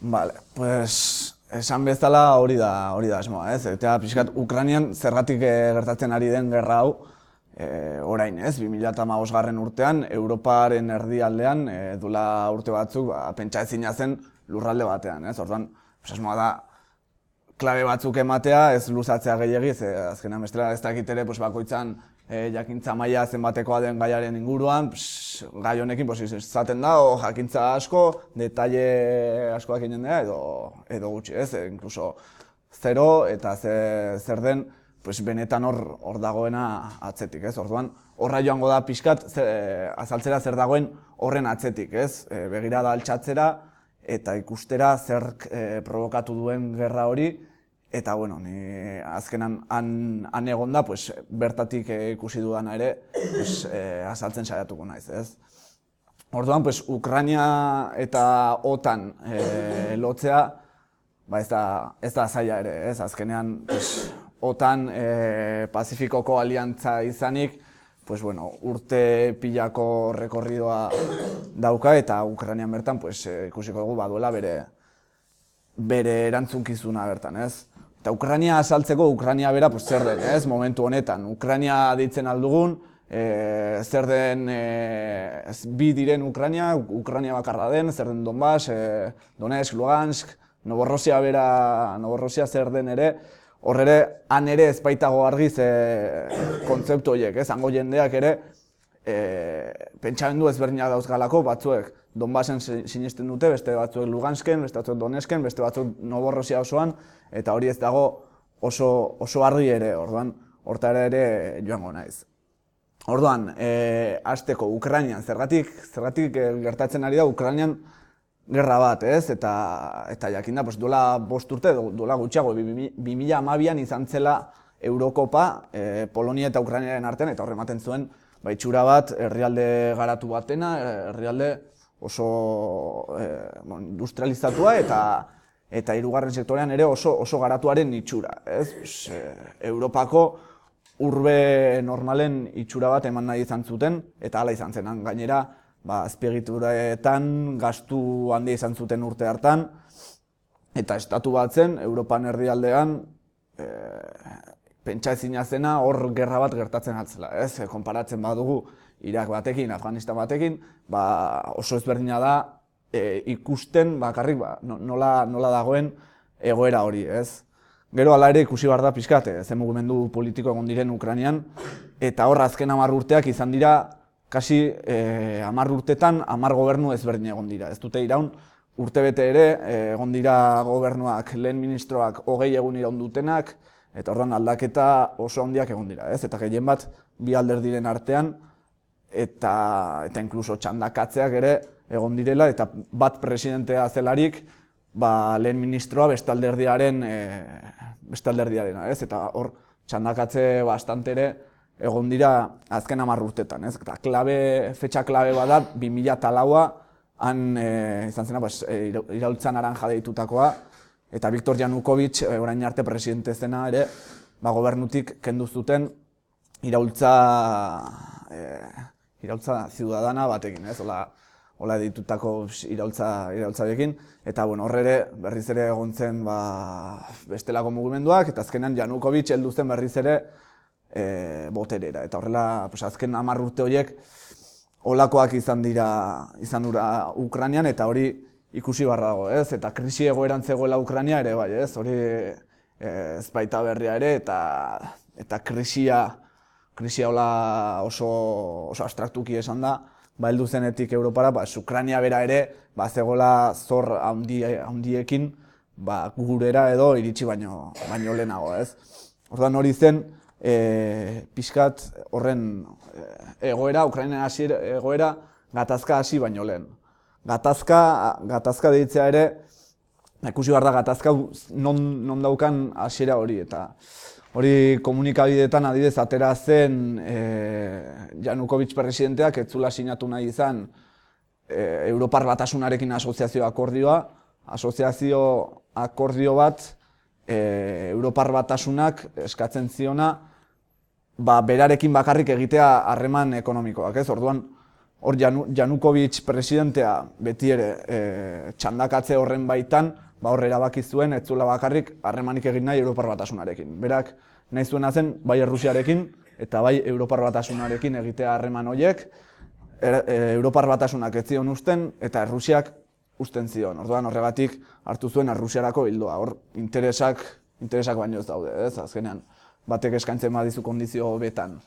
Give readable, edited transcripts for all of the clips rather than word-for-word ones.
Vale, pues esan bezala hori da asmoa, ez? Eta pixkat Ukrainian zergatik gertatzen ari den gerra hau orain, ez? 2015 urtean, Europaren erdialdean, duela urte batzuk, pentsa ezina zen lurralde batean, ez? Orduan, asmoa da, klabe batzuk ematea, ez luzatzea gehiegi, azkenean bestela ez dakit ere bakoitzan jakintza maila zenbatekoa den gaiaren inguruan, gai honekin izaten da, jakintza asko, detaile askoak egin da, edo gutxi, ez? Inkluso zero eta zer den benetan hor dagoena atzetik, ez? Orduan, horra joango da pixkat azaltzera zer dagoen horren atzetik, ez? Begirada altxatzera eta ikustera zer provokatu duen gerra hori, eta, bueno, ni azkenan han egon da, bertatik ikusi dudana ere, azaltzen saiatuko naiz, ez? Orduan, Ukraina eta OTAN lotzea, ez da zaila ere, ez? Azkenean, OTAN Pazifikoko aliantza izanik, urte pilako rekorridoa dauka eta Ukrainian bertan ikusiko dugu baduela bere erantzunkizuna bertan, ez? Eta Ukrainia azaltzeko, Ukrainia bera zer den, ez? Momentu honetan. Ukrainia deitzen aldugun, zer den bi diren Ukrainia bakarra den, zer den Donbass, Donetsk, Lugansk, Novorossia zer den ere, hor ere, han ere ez baitago argiz kontzeptu horiek, ez? Hango jendeak ere, pentsamendu ezberdinak dauzgalako, batzuek Donbassen sinesten dute, beste batzuek Lugansken, beste batzuek Donetsken, beste batzuk Novorossia osoan, eta hori ez dago oso argi ere, orduan, hortara ere joango naiz. Orduan, hasteko Ukrainian, zergatik gertatzen ari da Ukrainian gerra bat, ez? Eta jakinda, duela 5 urte, duela gutxiago, 2012an izan zela Eurokopa, Polonia eta Ukrainiaren artean, eta horrematen zuen, itxura bat, herrialde garatu batena, herrialde oso industrializatua eta hirugarren sektorean ere oso garatuaren itxura, ez? Europako urbe normalen itxura bat eman nahi izan zuten, eta hala izan zen, gainera, azpiegituretan gastu handia izan zuten urte hartan, eta estatu bat zen, Europan herrialdean, pentsa ezina zena hor gerra bat gertatzen altzela, ez? Konparatzen badugu Irak batekin, Afganistan batekin, oso ezberdina da ikusten bakarrik nola dagoen egoera hori, ez? Gero hala ere ikusi behar da pixkat, ze mugimendu politiko egon diren Ukrainian, eta hor azken 10 urteak izan dira, kasi 10 urtetan 10 gobernu ezberdin egon dira. Ez dute iraun, urtebete ere egon dira gobernuak, lehen ministroak 20 egun iraun dutenak, eta horren aldaketa oso handiak egon dira, ez? Eta gehien bat bi alderdiren artean, eta inkluso txandakatzeak ere egon direla, eta bat presidentea zelarik, lehen ministroa beste alderdiarena, ez? Eta hor txandakatze bastante ere egon dira azken 10 urtetan, ez? Eta fetxa klabe bada 2004a han izan zena iraultza naranja deitutakoa, eta Viktor Yanukovych orain arte presidente zena ere gobernutik kendu zuten iraultza ciudadana batekin, ez? Hola ditutako iraultzarekin, eta hor ere berriz ere egon zen bestelako mugimenduak, eta azkenan Yanukovych heldu zen berriz ere boterera, eta horrela azken 10 urte horiek holakoak izan dira Ukrainian, eta hori ikusi barra dago, ez? Eta krisi egoeran zegoela Ukraina ere, bai, ez? Hori ez baita berria ere, eta krisia hola oso abstraktuki esan da, heldu zenetik Europara, Ukraina bera ere, zegoela zor handiekin, gurera edo iritsi baino lehenago, ez? Orduan hori zen, pixkat horren egoera, Ukrainen egoera, gatazka hasi baino lehen. Gatazka deitzea ere, ikusi behar da gatazka non daukan hasiera hori, eta hori komunikabideetan adidez atera zen Yanukovych presidenteak ez zula sinatu nahi izan Europar Batasunarekin asoziazio akordio bat Europar Batasunak eskatzen ziona berarekin bakarrik egitea harreman ekonomikoak, ez? Orduan hor Janukovic presidentea beti ere txandakatze horren baitan, hor erabaki zuen ez zuela bakarrik harremanik egin nahi Europar Batasunarekin. Berak nahi zuena zen bai Errusiarekin eta bai Europar Batasunarekin egitea harreman horiek, Europar Batasunak ez zion uzten eta Errusiak uzten zion. Orduan horregatik hartu zuen Errusiarako ildoa. Hor interesak baino ez daude, ez? Azkenean batek eskaintzen badizu kondizio betan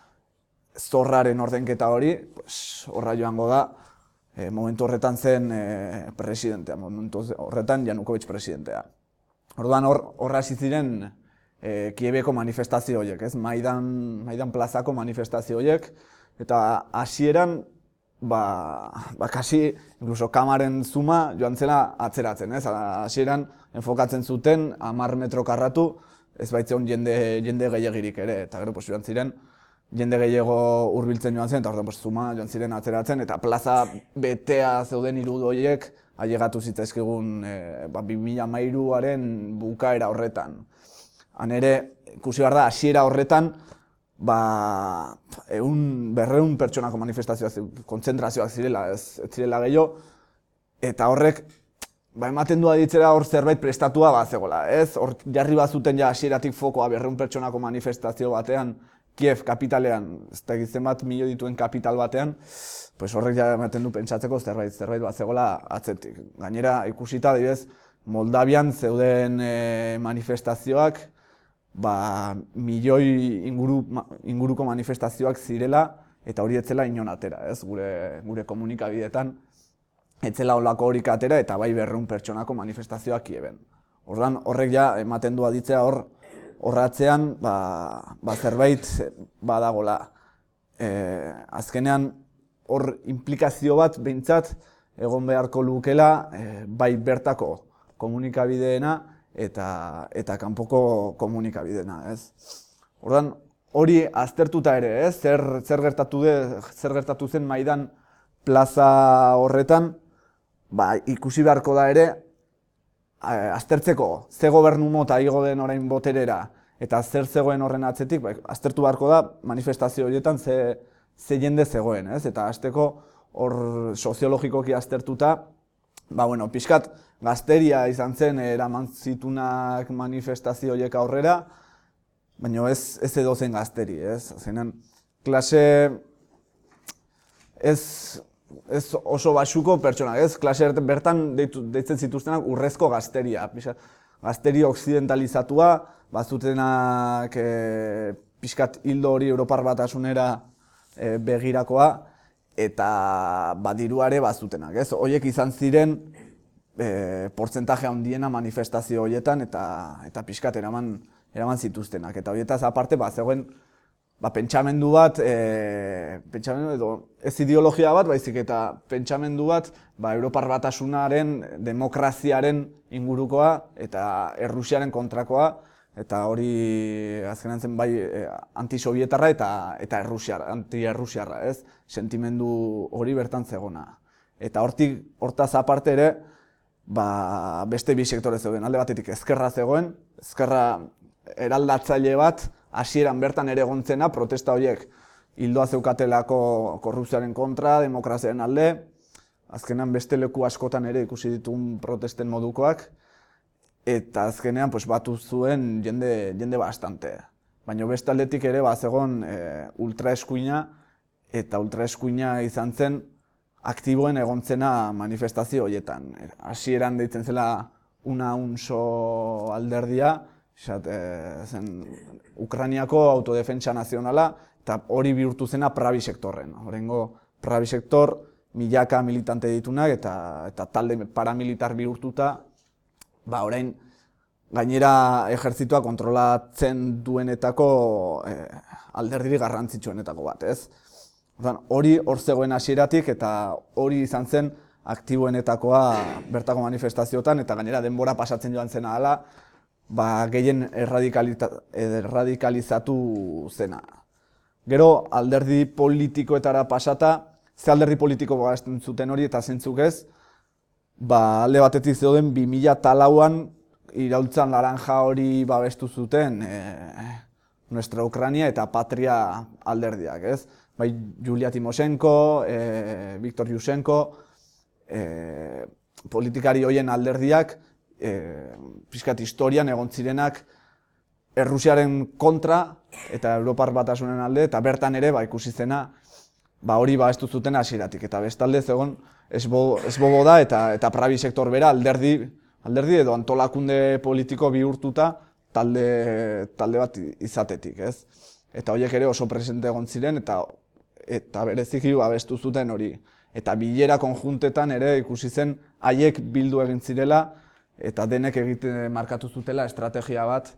zorraren ordenketa hori, horra joango da, momentu horretan zen presidentea, momentu horretan Janukovic presidentea. Orduan horra hasi ziren Kiebeko manifestazio horiek, ez? Maidan plazako manifestazio horiek, eta hasieran kasi, incluso kamaren zuma joan zela atzeratzen, ez? Hasieran enfokatzen zuten 10 metro karratu, ez baitzeon jende gehiagirik ere, eta gero joan ziren jende gehiago hurbiltzen joan zen, eta orduan zuma joan ziren atzeratzen, eta plaza betea zeuden irudi horiek ailegatu zitzaizkigun 2013aren bukaera horretan. Han ere, ikusi behar da, hasiera horretan, 200 pertsonako manifestazioak, kontzentrazioak zirela, ez zirela gehiago, eta horrek ematen du aditzera hor zerbait prestatua bazegola, ez? Hor jarri bazuten ja hasieratik fokoa 200 pertsonako manifestazio batean, Kiev kapitalean, ez da egiten bat milio dituen kapital batean, horrek ja ematen du pentsatzeko zerbait bazegola atzetik. Gainera, ikusita, adibidez, Moldavian zeuden manifestazioak, milioi inguruko manifestazioak zirela, eta hori etzela inon atera, ez? Gure komunikabideetan, etzela olako horik atera, eta bai 200 pertsonako manifestazioak Kieven. Orduan, horrek ja ematen du aditzea horratzean zerbait badagola. Azkenean hor implikazio bat behintzat egon beharko lukela bai bertako komunikabideena eta kanpoko komunikabideena, ez? Orduan hori aztertuta ere, ez? Zer gertatu zen Maidan plaza horretan, ikusi beharko da ere aztertzeko ze gobernu mota igo den orain boterera eta zer zegoen horren atzetik, aztertu beharko da manifestazio horietan ze jende zegoen, ez? Eta hasteko hor soziologikoki aztertuta, pixkat gazteria izan zen eraman zitunak manifestazio horiek aurrera, baina ez edozein gazteri, ez? Zenan, klase ez oso baxuko pertsonak, ez? Klase bertan deitzen zituztenak urrezko gazteria. Gazteri okzidentalizatua, bazutenak pixkat hildo hori Europar Batasunera begirakoa, eta diruare bazutenak, ez? Horiek izan ziren portzentaje handiena manifestazio horietan eta pixkat eraman zituztenak. Eta horietaz aparte, zegoen pentsamendu bat, ez ideologia bat, baizik eta pentsamendu bat Europar Batasunaren, demokraziaren ingurukoa eta Errusiaren kontrakoa, eta hori azkenan zen bai antisovietarra eta anti-errusiarra, ez? Sentimendu hori bertan zegona. Eta hortaz aparte ere, beste bi sektore zeuden. Alde batetik ezkerra zegoen, ezkerra eraldatzaile bat, hasieran bertan ere egontzena, protesta horiek hildoa zeukatelako korrupzioaren kontra, demokraziaren alde, azkenean beste leku askotan ere ikusi ditugun protesten modukoak, eta azkenean batu zuen jende bastante. Baina beste aldetik ere zegoen ultraeskuina, eta ultraeskuina izan zen aktiboen egontzena manifestazio horietan. Hasieran deitzen zela una unso alderdia, zen Ukrainiako autodefentsa nazionala, eta hori bihurtu zena Pravi sektorren. Horrengo Pravi sektor milaka militante ditunak eta talde paramilitar bihurtuta, orain gainera ejertzitua kontrolatzen duenetako alderdirik garrantzitsuenetako bat, ez? Hori hor zegoen hasieratik eta hori izan zen aktiboenetakoa bertako manifestazioetan, eta gainera denbora pasatzen joan zena hala, gehien erradikalizatu zena. Gero alderdi politikoetara pasata, ze alderdi politiko gazten zuten hori eta zentzuk ez, alde batetik zeuden 2004an iraultzan laranja hori babestu zuten Nuestra Ucrania eta Patria alderdiak, ez? bai Yulia Timoshenko, Viktor Yushchenko, politikari hoien alderdiak, pixkat historian egon zirenak Errusiaren kontra eta Europar Batasunen alde, eta bertan ere ikusi zena hori babestu zuten hasieratik. Eta bestalde zegoen Svoboda eta Pravi sektor bera alderdi edo antolakunde politiko bihurtuta talde bat izatetik, ez? Eta horiek ere oso presente egon ziren eta bereziki babestu zuten hori. Eta bilera konjuntetan ere ikusi zen haiek bildu egin zirela eta denek egiten markatu zutela estrategia bat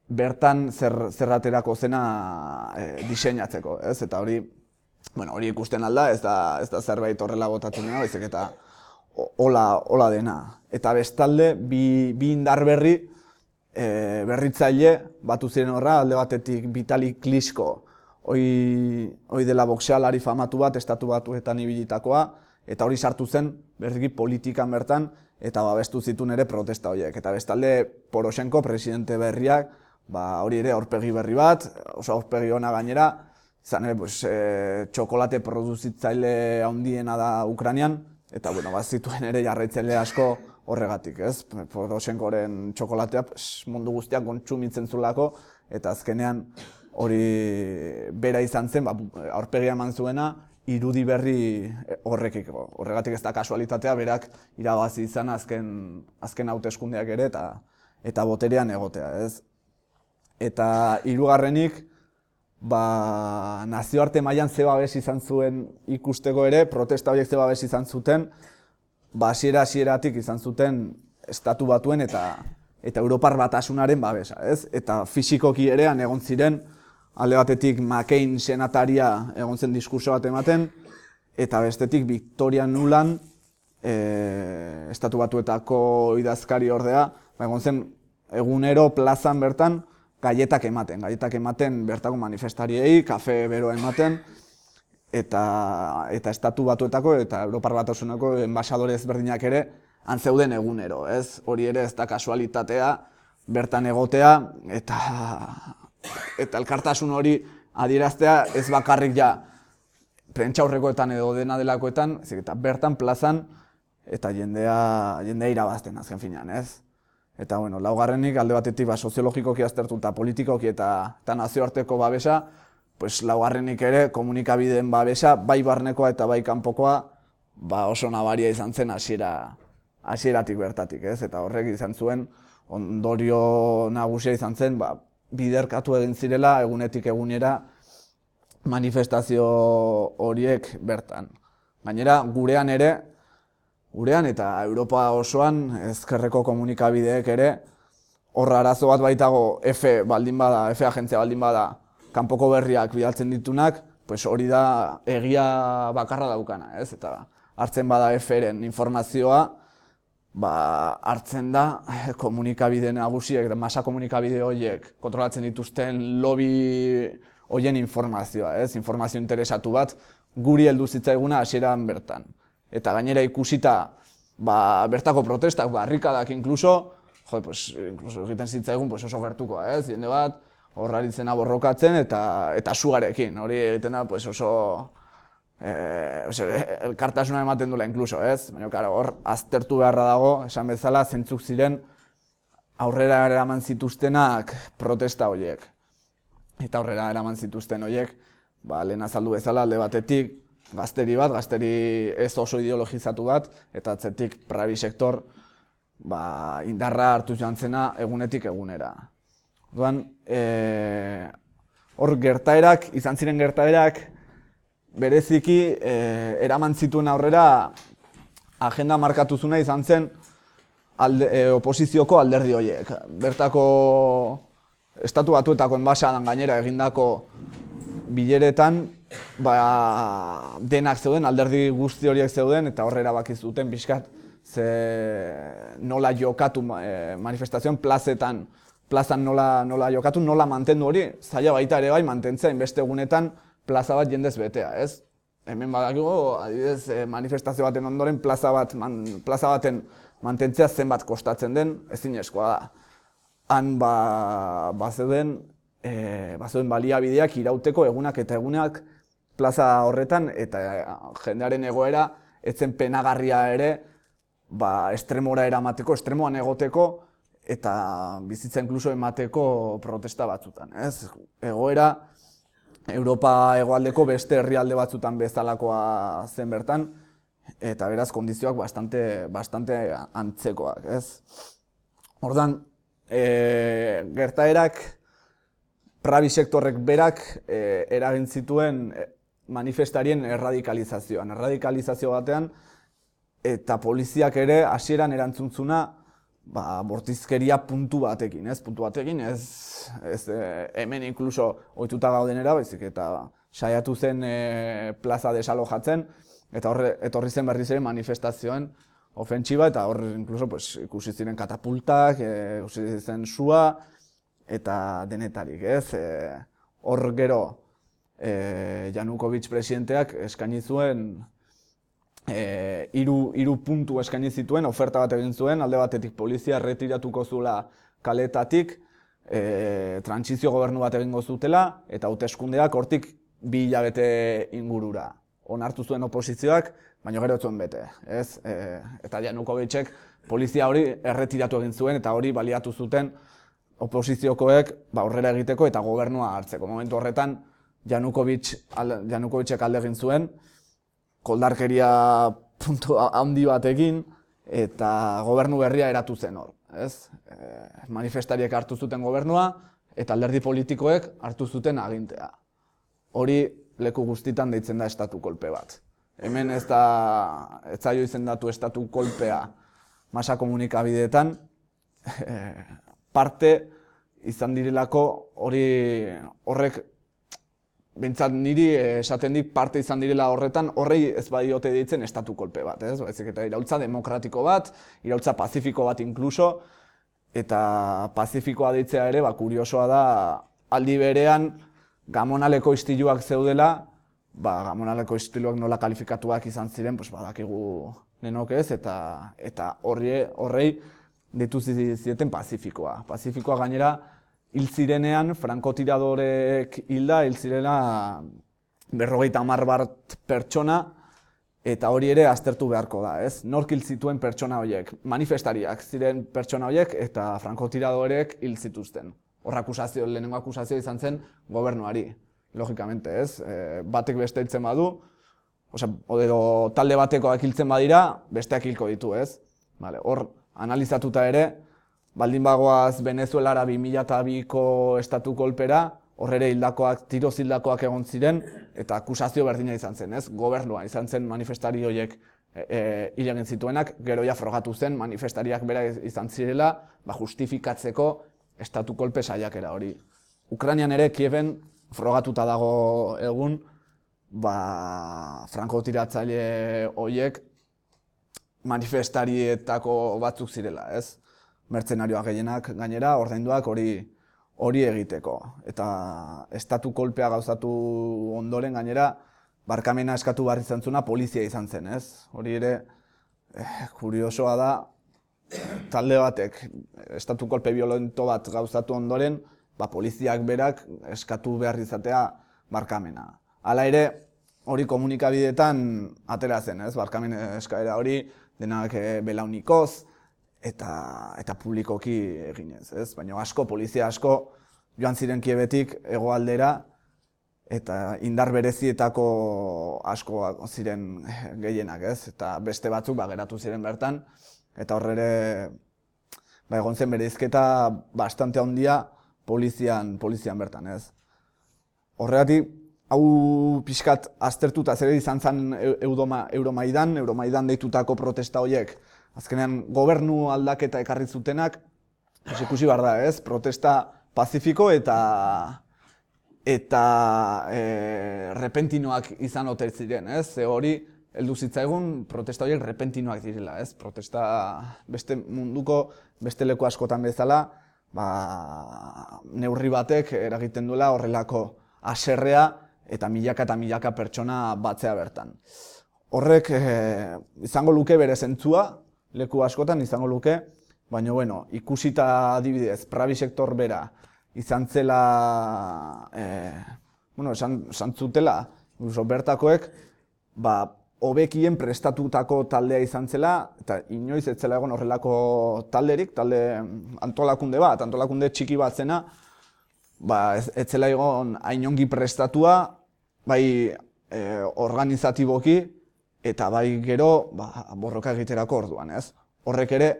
bertan zerraterako zena diseinatzeko, ez? Eta hori ikusten alda, ez da zerbait horrela botatzen dena, baizik eta hola dena. Eta bestalde, bi indar berritzaile batu ziren horra, alde batetik Vitali Klitschko, hoi dela boxealari famatu bat, estatu batuetan ibilitakoa, eta hori sartu zen berriki politikan bertan, eta babestu zituen ere protesta horiek. Eta bestalde Poroshenko, presidente berriak, hori ere aurpegi berri bat, oso aurpegi ona gainera, izan ere txokolate produzitzaile handiena da Ukrainian, eta bazituen ere jarraitzaile asko horregatik, ez? Poroshenkoren txokolatea mundu guztiak kontsumitzen zulako, eta azkenean hori bera izan zen, aurpegia eman zuena, irudi berri horrekiko. Horregatik ez da kasualitatea, berak irabazi izan azken hauteskundeak ere eta boterean egotea, ez? Eta hirugarrenik, nazioarte mailan ze babes izan zuen ikusteko ere, protesta horiek ze babes izan zuten, hasieratik izan zuten estatu batuen eta Europar Batasunaren babesa, ez? Eta fisikoki ere egon ziren, alde batetik McCain senataria egon zen diskurso bat ematen, eta bestetik Victoria Nuland, estatu batuetako idazkari ordea, egon zen egunero plazan bertan gaietak ematen bertako manifestariei, kafe bero ematen, eta estatu batuetako eta Europar Batasuneko enbaxadore ezberdinak ere antzeuden egunero, ez? Hori ere ez da kasualitatea bertan egotea eta elkartasun hori adieraztea ez bakarrik ja prentsaurrekoetan edo dena delakoetan, eta bertan plazan eta jendea irabazten azken finean, ez? Eta laugarrenik alde batetik soziologikoki aztertu eta politikoki eta nazioarteko babesa, laugarrenik ere komunikabideen babesa, bai barnekoa eta bai kanpokoa, oso nabaria izan zen hasieratik bertatik, ez? Eta horrek izan zuen ondorio nagusia izan zen, biderkatu egin zirela egunetik egunera manifestazio horiek bertan. Gainera, gurean eta Europa osoan ezkerreko komunikabideek ere horra arazo bat baitago F agentzia baldin bada kanpoko berriak bidaltzen ditunak, hori da egia bakarra daukana, ez? Eta hartzen bada F-ren informazioa, hartzen da komunikabide nagusiek, masa komunikabide horiek kontrolatzen dituzten lobby horien informazioa, ez? Informazio interesatu bat guri heldu zitzaiguna hasieran bertan. Eta gainera ikusita bertako protestak, barrikadak inkluso egiten zitzaigun oso gertukoa, ez? Jende bat horraritzena borrokatzen eta sugarekin, hori egiten da oso elkartasuna ematen duela inkluso, ez? Baina hor aztertu beharra dago, esan bezala, zentzuk ziren aurrera eraman zituztenak protesta horiek. Eta aurrera eraman zituzten horiek, lehen azaldu bezala alde batetik, gazteri ez oso ideologizatu bat, eta atzetik Pravi sektor indarra hartu joan zena egunetik egunera. Hor izan ziren gertaerak, bereziki eraman zituen aurrera agenda markatu zuna izan zen oposizioko alderdi horiek. Bertako estatu batuetako enbaxadan gainera egindako bileretan denak zeuden, alderdi guzti horiek zeuden, eta horre erabaki zuten pixkat nola jokatu manifestazioan plazan nola jokatu, nola mantendu hori, zaila baita ere bai mantentzea inbeste egunetan plaza bat jendez betea, ez? Hemen badakigu, adibidez, manifestazio baten ondoren plaza baten mantentzea zenbat kostatzen den, ezinezkoa da. Han bazeuden baliabideak irauteko egunak eta egunak plaza horretan, eta jendearen egoera etzen penagarria ere, estremora eramateko, estremoan egoteko, eta bizitza inkluso emateko protesta batzutan. Egoera, Europa hegoaldeko beste herrialde batzutan bezalakoa zen bertan, eta beraz kondizioak bastante antzekoak. Ordan, gertaerak, prabi sektorrek berak eragin zituen manifestarien erradikalizazioan. Erradikalizazio batean, eta poliziak ere hasieran erantzuntzuna bortizkeria puntu batekin, ez hemen inkluso ohituta gaudenera, baizik eta saiatu zen plaza desalojatzen, eta etorri zen berriz ere manifestazioen ofentsiba, eta hor inkluso ikusi ziren katapultak, ikusi zen sua, eta denetarik, hor gero Yanukovych presidenteak eskaini zuen hiru puntu eskaini zituen, oferta bat egin zuen, alde batetik polizia erretiratuko zuela kaletatik, trantsizio gobernu bat egingo zutela, eta hauteskundeak hortik 2 hilabete ingurura. Onartu zuen oposizioak, baina gero ez zuen bete. Eta Yanukovychek polizia hori erretiratu egin zuen, eta hori baliatu zuten oposiziokoek aurrera egiteko eta gobernua hartzeko. Momentu horretan, Yanukovychek alde egin zuen, koldarkeria puntu handi batekin, eta gobernu berria eratu zen hor. Manifestariek hartu zuten gobernua, eta alderdi politikoek hartu zuten agintea. Hori leku guztitan deitzen da estatu kolpe bat. Hemen ez zaio izendatu estatu kolpea masa komunikabideetan, parte izan direlako horrek behintzat niri esaten dik parte izan direla horretan, horrei ez badiote deitzen estatu kolpe bat, baizik eta iraultza demokratiko bat, iraultza pazifiko bat inkluso, eta pazifikoa deitzea ere, kuriosoa da, aldi berean Gamonaleko istiluak zeudela, Gamonaleko istiluak nola kalifikatuak izan ziren, badakigu nenok ez, eta horrei deitu zieten pazifikoa. Pazifikoa gainera, hil zirenean, frankotiradoreek hilda, hil zirela 50 bat pertsona, eta hori ere aztertu beharko da, Nork hil zituen pertsona horiek, manifestariak ziren pertsona horiek, eta frankotiradoreek hil zituzten. Lehenengo akusazio izan zen gobernuari, logikamente, Batek beste hiltzen badu, edo talde batekoak hiltzen badira, besteak hilko ditu, Hor, analizatuta ere, baldin bagoaz Venezuelara 2002ko estatu kolpera, hor ere tiroz hildakoak egon ziren, eta akusazio berdina izan zen, Gobernua izan zen manifestari horiek hil egin zituenak, gero ja frogatu zen manifestariak bera izan zirela, justifikatzeko estatu kolpe saiakera hori. Ukrainian ere Kieven frogatuta dago egun, frankotiratzaile horiek manifestarietako batzuk zirela, mertzenarioak gehienak gainera, ordainduak hori egiteko. Eta estatu kolpea gauzatu ondoren gainera, barkamena eskatu behar izan zuna polizia izan zen, Hori ere, kuriosoa da, talde batek, estatu kolpe violento bat gauzatu ondoren, poliziak berak eskatu behar izatea barkamena. Hala ere, hori komunikabideetan atera zen, barkamen eskaera hori, denak belaunikoz, eta publikoki eginez, Baina polizia asko joan ziren Kiebetik hegoaldera, eta indar berezietako asko ziren gehienak, Eta beste batzuk geratu ziren bertan, eta horre egon zen bereizketa bastante handia polizian bertan, Horregatik, hau pixkat aztertuta zer izan zen Euromaidan deitutako protesta horiek, azkenean gobernu aldaketa ekarri zutenak, ikusi behar da, protesta pazifiko eta repentinoak izan ote ziren, hori heldu zitzaigun protesta horiek repentinoak direla, protesta beste munduko, beste leku askotan bezala, neurri batek eragiten duela horrelako haserrea eta milaka pertsona batzea bertan. Horrek izango luke bere zentzua, leku askotan izango luke, baina ikusita adibidez, prabi sektor bera izan zela, esan zutela, Incluso bertakoek, hobekien prestatutako taldea izan zela, eta inoiz ez zela egon horrelako talderik, talde antolakunde txiki bat zena, ez zela egon hainongi prestatua, bai organizatiboki, eta bai gero borroka egiterako orduan, ez? Horrek ere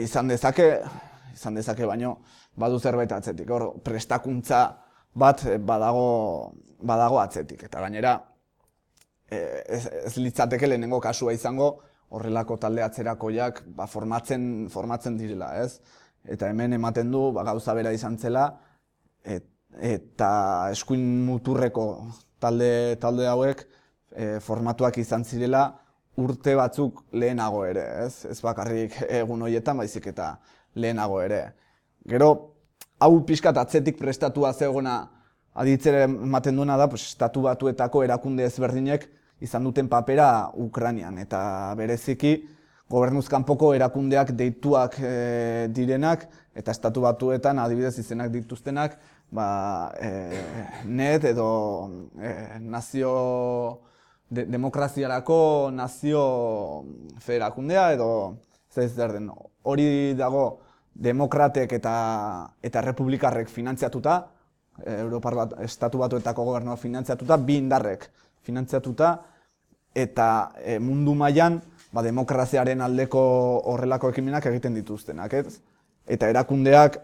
izan dezake baino badu zerbait atzetik. Hor prestakuntza bat badago atzetik, eta gainera ez litzateke lehenengo kasua izango horrelako talde atzerakoiak formatzen direla, ez? Eta hemen ematen du gauza bera izan zela, eta eskuin muturreko talde hauek formatuak izan zirela urte batzuk lehenago ere, ez? Ez bakarrik egun horietan, baizik eta lehenago ere. Gero, hau pixkat atzetik prestatua zegoena aditzere ematen duena da, Estatu Batuetako erakunde ezberdinek izan duten papera Ukrainian, eta bereziki gobernuz kanpoko erakundeak deituak direnak, eta Estatu Batuetan adibidez izenak dituztenak, NED edo demokraziarako nazio federakundea edo ez zer den. Hori dago demokratek eta republikarrek finantziatuta, Europar Estatu Batuetako gobernua finantziatuta, bi indarrek finantziatuta, eta mundu mailan demokraziaren aldeko horrelako ekimenak egiten dituztenak, ez? Eta erakundeak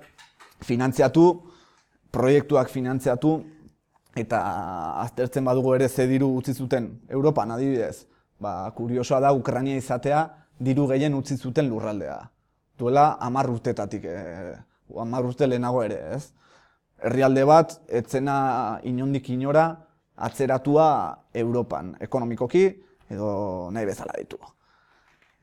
finantziatu, proiektuak finantziatu, eta aztertzen badugu ere ze diru utzi zuten Europan adibidez. Kuriosoa da Ukraina izatea diru gehien utzi zuten lurraldea. Duela 10 urtetatik, 10 urte lehenago ere, ez? Herrialde bat, etzena inondik inora atzeratua Europan, ekonomikoki edo nahi bezala ditu.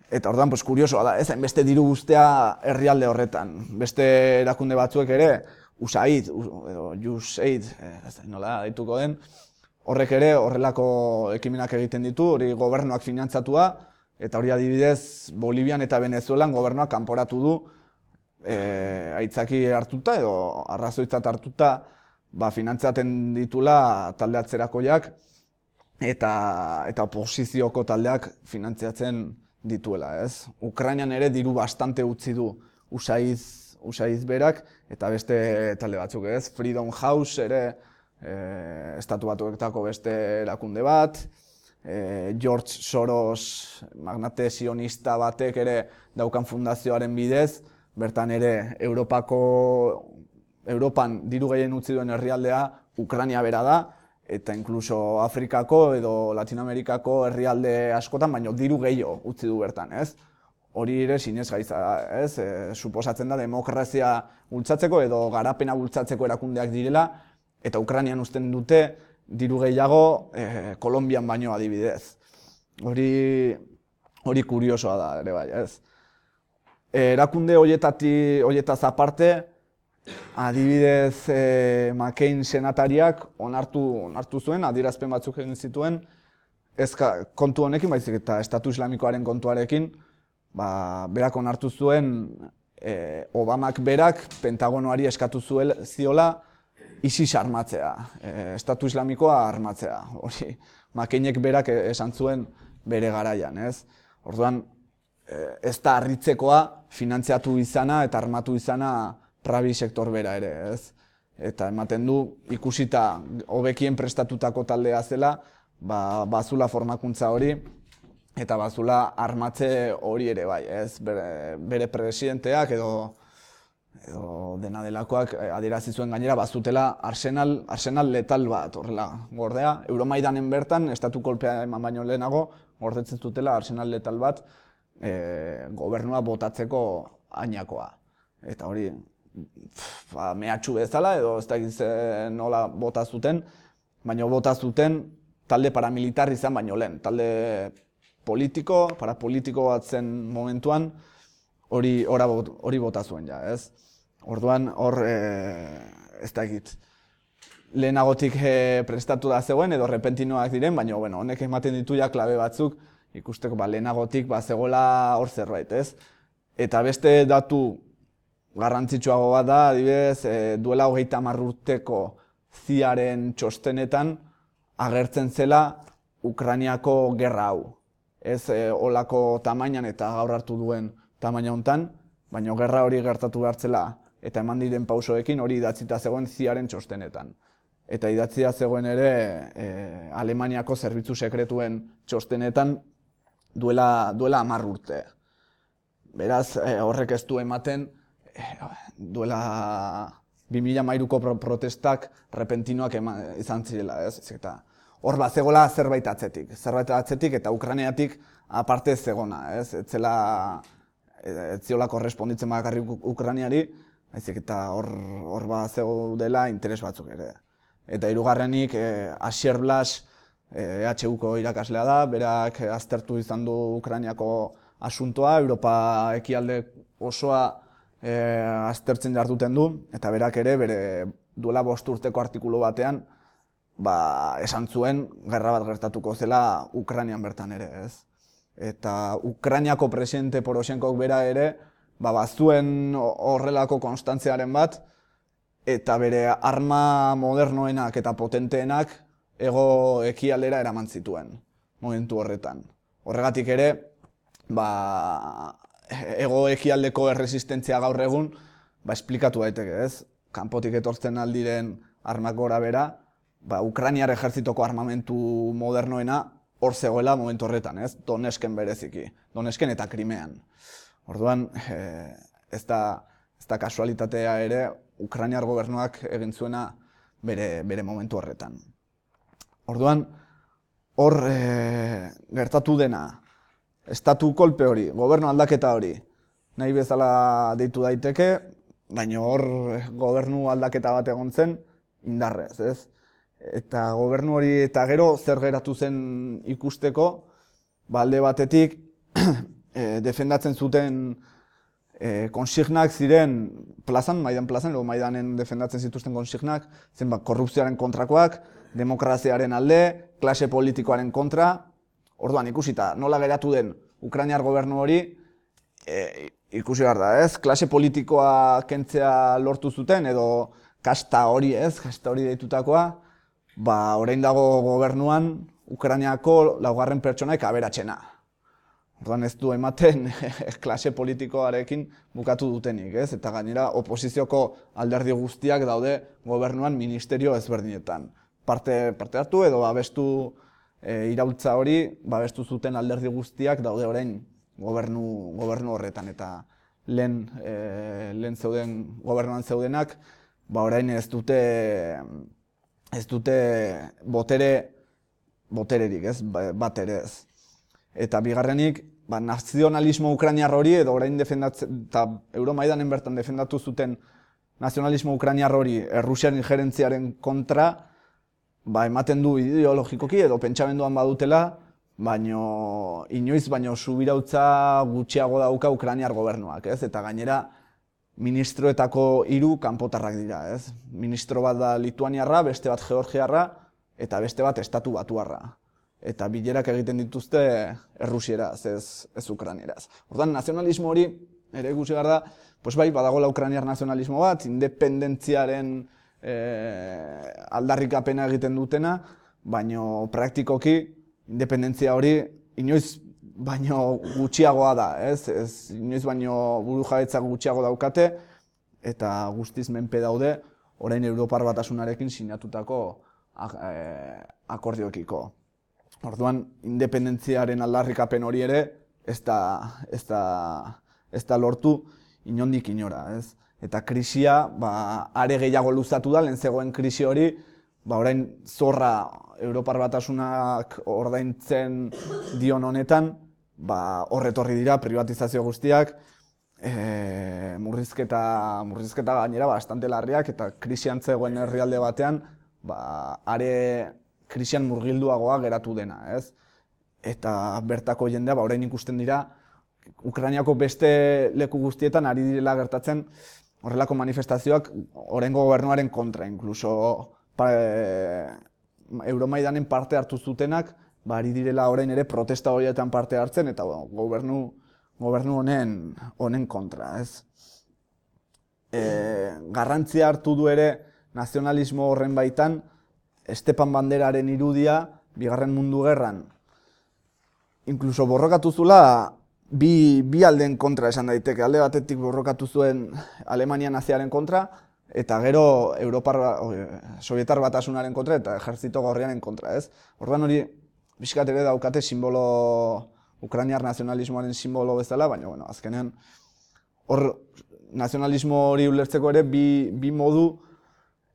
Eta orduan, kuriosoa da, ez? Hainbeste diru guztia herrialde horretan. Beste erakunde batzuek ere, USAID, edo USAID, nola dituko den, horrek ere horrelako ekimenak egiten ditu, hori gobernuak finantzatua, eta hori adibidez Bolivian eta Venezuelan gobernuak kanporatu du, aitzaki hartuta edo arrazoitzat hartuta finantzaten ditula talde atzerakoiak eta oposizioko taldeak finantziatzen dituela, ez? Ukrainian ere diru bastante utzi du USAID berak eta beste talde batzuk, ez? Freedom House ere Estatu Batuetako beste erakunde bat, George Soros magnate sionista batek ere daukan fundazioaren bidez, bertan ere Europan diru gehien utzi duen herrialdea Ukraina bera da, eta inkluso Afrikako edo Latinoamerikako herrialde askotan, baino diru gehiago utzi du bertan, ez? Hori ere sinesgaitza da, ez? Suposatzen da demokrazia bultzatzeko edo garapena bultzatzeko erakundeak direla, eta Ukrainian uzten dute diru gehiago Kolonbian baino adibidez. Hori kuriosoa da ere bai, ez? Erakunde horietaz aparte, adibidez McCain senatariak onartu zuen, adierazpen batzuk egin zituen, ez kontu honekin, baizik eta Estatu Islamikoaren kontuarekin, berak onartu zuen Obamak berak Pentagonoari eskatu ziola ISIS armatzea, Estatu Islamikoa armatzea. Hori, McCainek berak esan zuen bere garaian, ez? Orduan, ez da harritzekoa finantziatu izana eta armatu izana prabi sektor bera ere, ez? Eta ematen du, ikusita hobekien prestatutako taldea zela, bazula formakuntza hori, eta bazula armatze hori ere bai, ez? Bere presidenteak edo dena delakoak adierazi zuen gainera bazutela arsenal letal bat, horrela, gordea. Euromaidanen bertan, estatu kolpea eman baino lehenago, gordetzen zutela arsenal letal bat, gobernua botatzeko hainakoa. Eta hori, mehatxu bezala edo ez dakiz nola bota zuten, baina bota zuten talde paramilitar izan baino lehen. Talde parapolitiko bat zen momentuan, hori bota zuen ja, ez? Orduan, hor, ez dakit, lehenagotik prestatu da zegoen edo repentinoak diren, baina honek ematen ditu ja klabe batzuk, ikusteko lehenagotik zegoela hor zerbait, ez? Eta beste datu garrantzitsuago bat da, adibidez, duela 30 urteko CIA-ren txostenetan agertzen zela Ukrainiako gerra hau. Ez olako tamainan eta gaur hartu duen tamaina hontan, baina gerra hori gertatu behartzela eta eman diren pausoekin hori idatzita zegoen CIA-ren txostenetan. Eta idatzia zegoen ere Alemaniako zerbitzu sekretuen txostenetan duela 10 urte. Beraz, horrek ez du ematen, duela 2013ko protestak repentinoak izan zirela, ez? Eta hor zegoela zerbait atzetik eta Ukrainiatik aparte zegona, ez? Ez ziola korresponditzen bakarrik Ukrainiari, baizik eta hor zegoela interes batzuk ere. Eta hirugarrenik, Asier Blas, EHUko irakaslea da, berak aztertu izan du Ukrainiako asuntoa, Europa ekialde osoa aztertzen jarduten du, eta berak ere bere duela 5 urteko artikulu batean esan zuen gerra bat gertatuko zela Ukrainian bertan ere, ez? Eta Ukrainiako presidente Poroshenkok bera ere bazuen horrelako konstantziaren bat, eta bere arma modernoenak eta potenteenak hego ekialdera eraman zituen momentu horretan. Horregatik ere, hego ekialdeko erresistentzia gaur egun esplikatu daiteke, ez? Kanpotik etortzen aldiren armak gora bera, Ukrainiar ejertzitoko armamentu modernoena hor zegoela momentu horretan, ez? Donetsken bereziki, Donetsken eta Krimean. Orduan, ez da kasualitatea ere Ukrainiar gobernuak egin zuena bere momentu horretan. Orduan, hor gertatu dena, estatu kolpe hori, gobernu aldaketa hori, nahi bezala deitu daiteke, baina hor gobernu aldaketa bat egon zen indarrez, ez? Eta gobernu hori eta gero zer geratu zen ikusteko, alde batetik defendatzen zuten konsignak ziren Maidan plazan, edo Maidanen defendatzen zituzten konsignak, zen korrupzioaren kontrakoak, demokraziaren alde, klase politikoaren kontra. Orduan ikusita nola geratu den Ukrainiar gobernu hori, ikusi behar da, ez? Klase politikoa kentzea lortu zuten, edo kasta hori, ez? Kasta hori deitutakoa, orain dago gobernuan Ukrainiako 4. pertsonaik aberatsena. Orduan ez du ematen klase politikoarekin bukatu dutenik, ez? Eta gainera oposizioko alderdi guztiak daude gobernuan ministerio ezberdinetan. Parte hartu edo babestu iraultza hori, babestu zuten alderdi guztiak daude orain gobernu horretan. Eta lehen zeuden gobernuan zeudenak, orain ez dute botererik, ez? Bat ere ez. Eta bigarrenik, nazionalismo ukrainiar hori, edo orain defendatzen, eta Euromaidanen bertan defendatu zuten nazionalismo ukrainiar hori Errusian injerentziaren kontra, ematen du ideologikoki edo pentsamenduan badutela, baino inoiz subirautza gutxiago dauka Ukrainiar gobernuak, ez? Eta gainera ministroetako 3 kanpotarrak dira, ez? Ministro bat da lituaniarra, beste bat georgiarra, eta beste bat estatu batuarra. Eta bilerak egiten dituzte errusieraz, ez ukrainieraz. Orduan, nazionalismo hori, ere ikusi behar da, badagoela ukrainiar nazionalismo bat, independentziaren aldarrikapena egiten dutena, baino praktikoki independentzia hori inoiz baino gutxiagoa da, ez? Inoiz baino burujabetza gutxiago daukate, eta guztiz menpe daude, orain Europar Batasunarekin sinatutako akordioekiko. Orduan, independentziaren aldarrikapen hori ere ez da lortu inondik inora, ez? Eta krisia are gehiago luzatu da, lehen zegoen krisi hori, orain zorra Europar Batasunak ordaintzen dion honetan, horretorri dira privatizazio guztiak, murrizketa gainera bastante larriak, eta krisian zegoen herrialde batean, are krisian murgilduagoa geratu dena, ez? Eta bertako jendea, orain ikusten dira, Ukrainiako beste leku guztietan ari direla gertatzen horrelako manifestazioak oraingo gobernuaren kontra, inkluso Euromaidanen parte hartu zutenak, ari direla orain ere protesta horietan parte hartzen, eta gobernu honen kontra, ez? Garrantzia hartu du ere nazionalismo horren baitan, Stepan Banderaren irudia, Bigarren Mundu Gerran, inkluso borrokatu zula, bi aldeen kontra esan daiteke. Alde batetik borrokatu zuen Alemania naziaren kontra, eta gero Sovietar Batasunaren kontra eta Ejertzito Gorriaren kontra, ez? Orduan hori, pixkat ere daukate simbolo, ukrainiar nazionalismoaren simbolo bezala, baina, bueno, azkenean, hor nazionalismo hori ulertzeko ere bi modu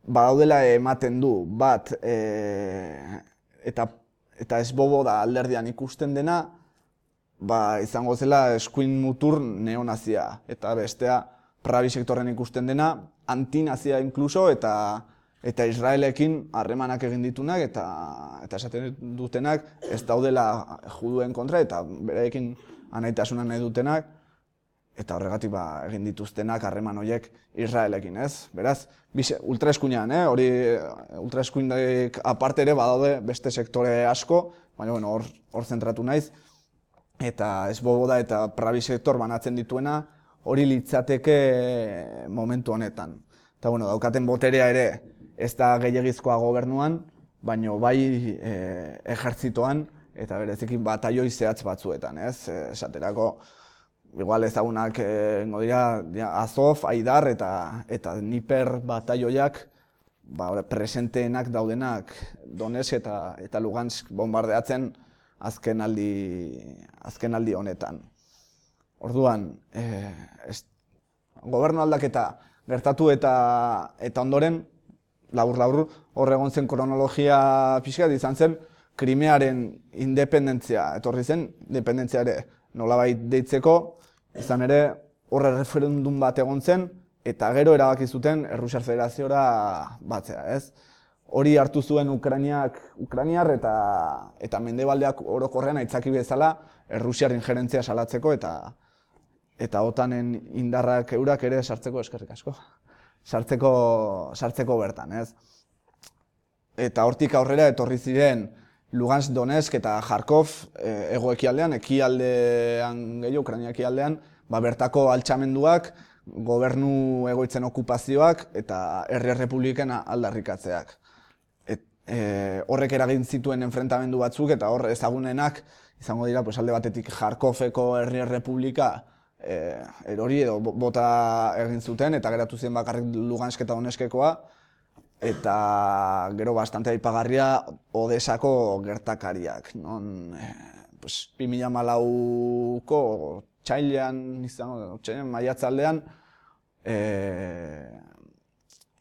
badaudela ematen du. Bat, eta ez bobo da alderdian ikusten dena, izango zela eskuin mutur neonazia. Eta bestea, prabi sektorren ikusten dena, antinazia inkluso, eta Israelekin harremanak egin ditunak, eta esaten dutenak ez daudela juduen kontra, eta bereekin anaitasuna nahi dutenak, eta horregatik egin dituztenak harreman horiek Israelekin, ez? Beraz, ultraeskuinean, hori ultraeskuinek aparte ere badaude beste sektore asko, baina bueno, hor zentratu naiz, eta ez bobo da eta prabi sektor banatzen dituena, hori litzateke momentu honetan. Eta bueno, daukaten boterea ere ez da gehiegizkoa gobernuan, baina bai ejertzitoan eta berezikin bataioi zehatz batzuetan, ez? Esaterako, igual ezagunak dira Azov, Aidar eta Dniper bataioiak presenteenak daudenak Donetsk eta Lugansk bombardeatzen azken aldi honetan. Orduan, gobernu aldaketa gertatu eta ondoren, labur, hor egon zen kronologia pixkat izan zen, Krimearen independentzia etorri zen, independentzia ere nolabait deitzeko, izan ere horre referendum bat egon zen, eta gero erabaki zuten Errusiar Federaziora batzea, ez? Hori hartu zuen Ukrainiar eta Mendebaldeak orokorrean aitzaki bezala Errusiar injerentzia salatzeko eta OTANen indarrak eurak ere sartzeko, eskerrik asko, sartzeko bertan, ez? Eta hortik aurrera etorri ziren Lugansk, Donetsk eta Kharkov hego-ekialdean, ekialdean gehiago, Ukraina ekialdean, bertako altxamenduak, gobernu egoitzen okupazioak eta herri errepubliken aldarrikatzeak. Horrek eragin zituen enfrentamendu batzuk eta hor ezagunenak izango dira alde batetik Kharkoveko herri errepublika erori edo bota egin zuten eta geratu zen bakarrik Lugansk eta Donetskekoa, eta gero bastante aipagarria Odesako gertakariak. 2014ko txailean, maiatzaldean,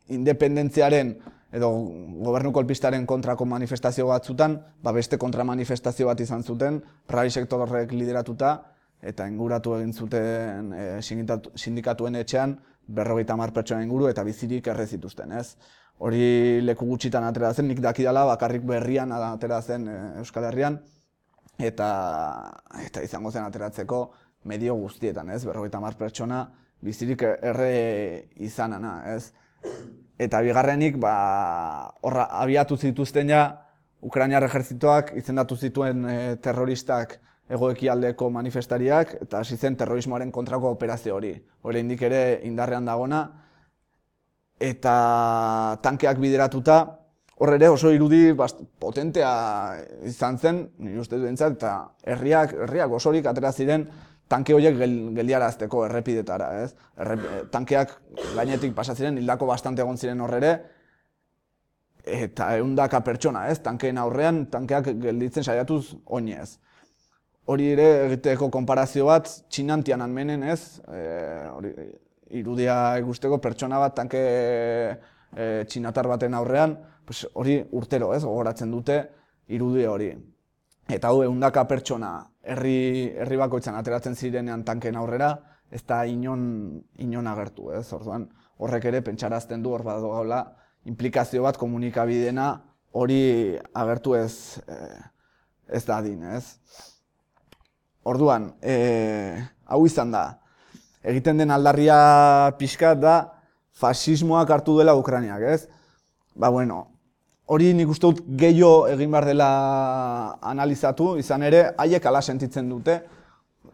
independentziaren edo gobernu kolpistaren kontrako manifestazio batzutan, beste kontramanifestazio bat izan zuten, prabi sektorrek lideratuta, eta inguratu egin zuten sindikatuen etxean 50 pertsona inguru eta bizirik erre zituzten, ez? Hori leku gutxitan atera zen, nik dakidala bakarrik berrian atera zen Euskal Herrian, eta izango zen ateratzeko medio guztietan, ez? 50 pertsona bizirik erre izanana, ez? Eta bigarrenik, horra abiatu zituzten ja, Ukrainiar ejertzitoak izendatu zituen terroristak hego-ekialdeko manifestariak, eta hasi zen terrorismoaren kontrako operazio hori. Oraindik ere indarrean dagona, eta tankeak bideratuta, hor ere oso irudi potentea izan zen, nire ustez behintzat, eta herriak osorik atera ziren tanke horiek geldiarazteko errepidetara, ez? Tankeak gainetik pasa ziren, hildako bastante egon ziren hor ere, eta 100 pertsona, ez? Tankeen aurrean, tankeak gelditzen saiatuz oinez. Hori ere egiteko konparazio bat, Txinan Tiananmenen, ez? Irudia ikusteko pertsona bat tanke txinatar baten aurrean, hori urtero, ez? Gogoratzen dute irudi hori. Eta hau 100 pertsona herri bakoitzan ateratzen zirenean tankeen aurrera, ez da inon agertu, ez? Orduan, horrek ere pentsarazten du hor badagoela implikazio bat komunikabidena hori agertu ez dadin, ez? Orduan, hau izan da, egiten den aldarria pixkat da fasismoak hartu duela Ukrainiak, ez? Hori nik uste dut gehiago egin behar dela analizatu, izan ere, haiek ala sentitzen dute,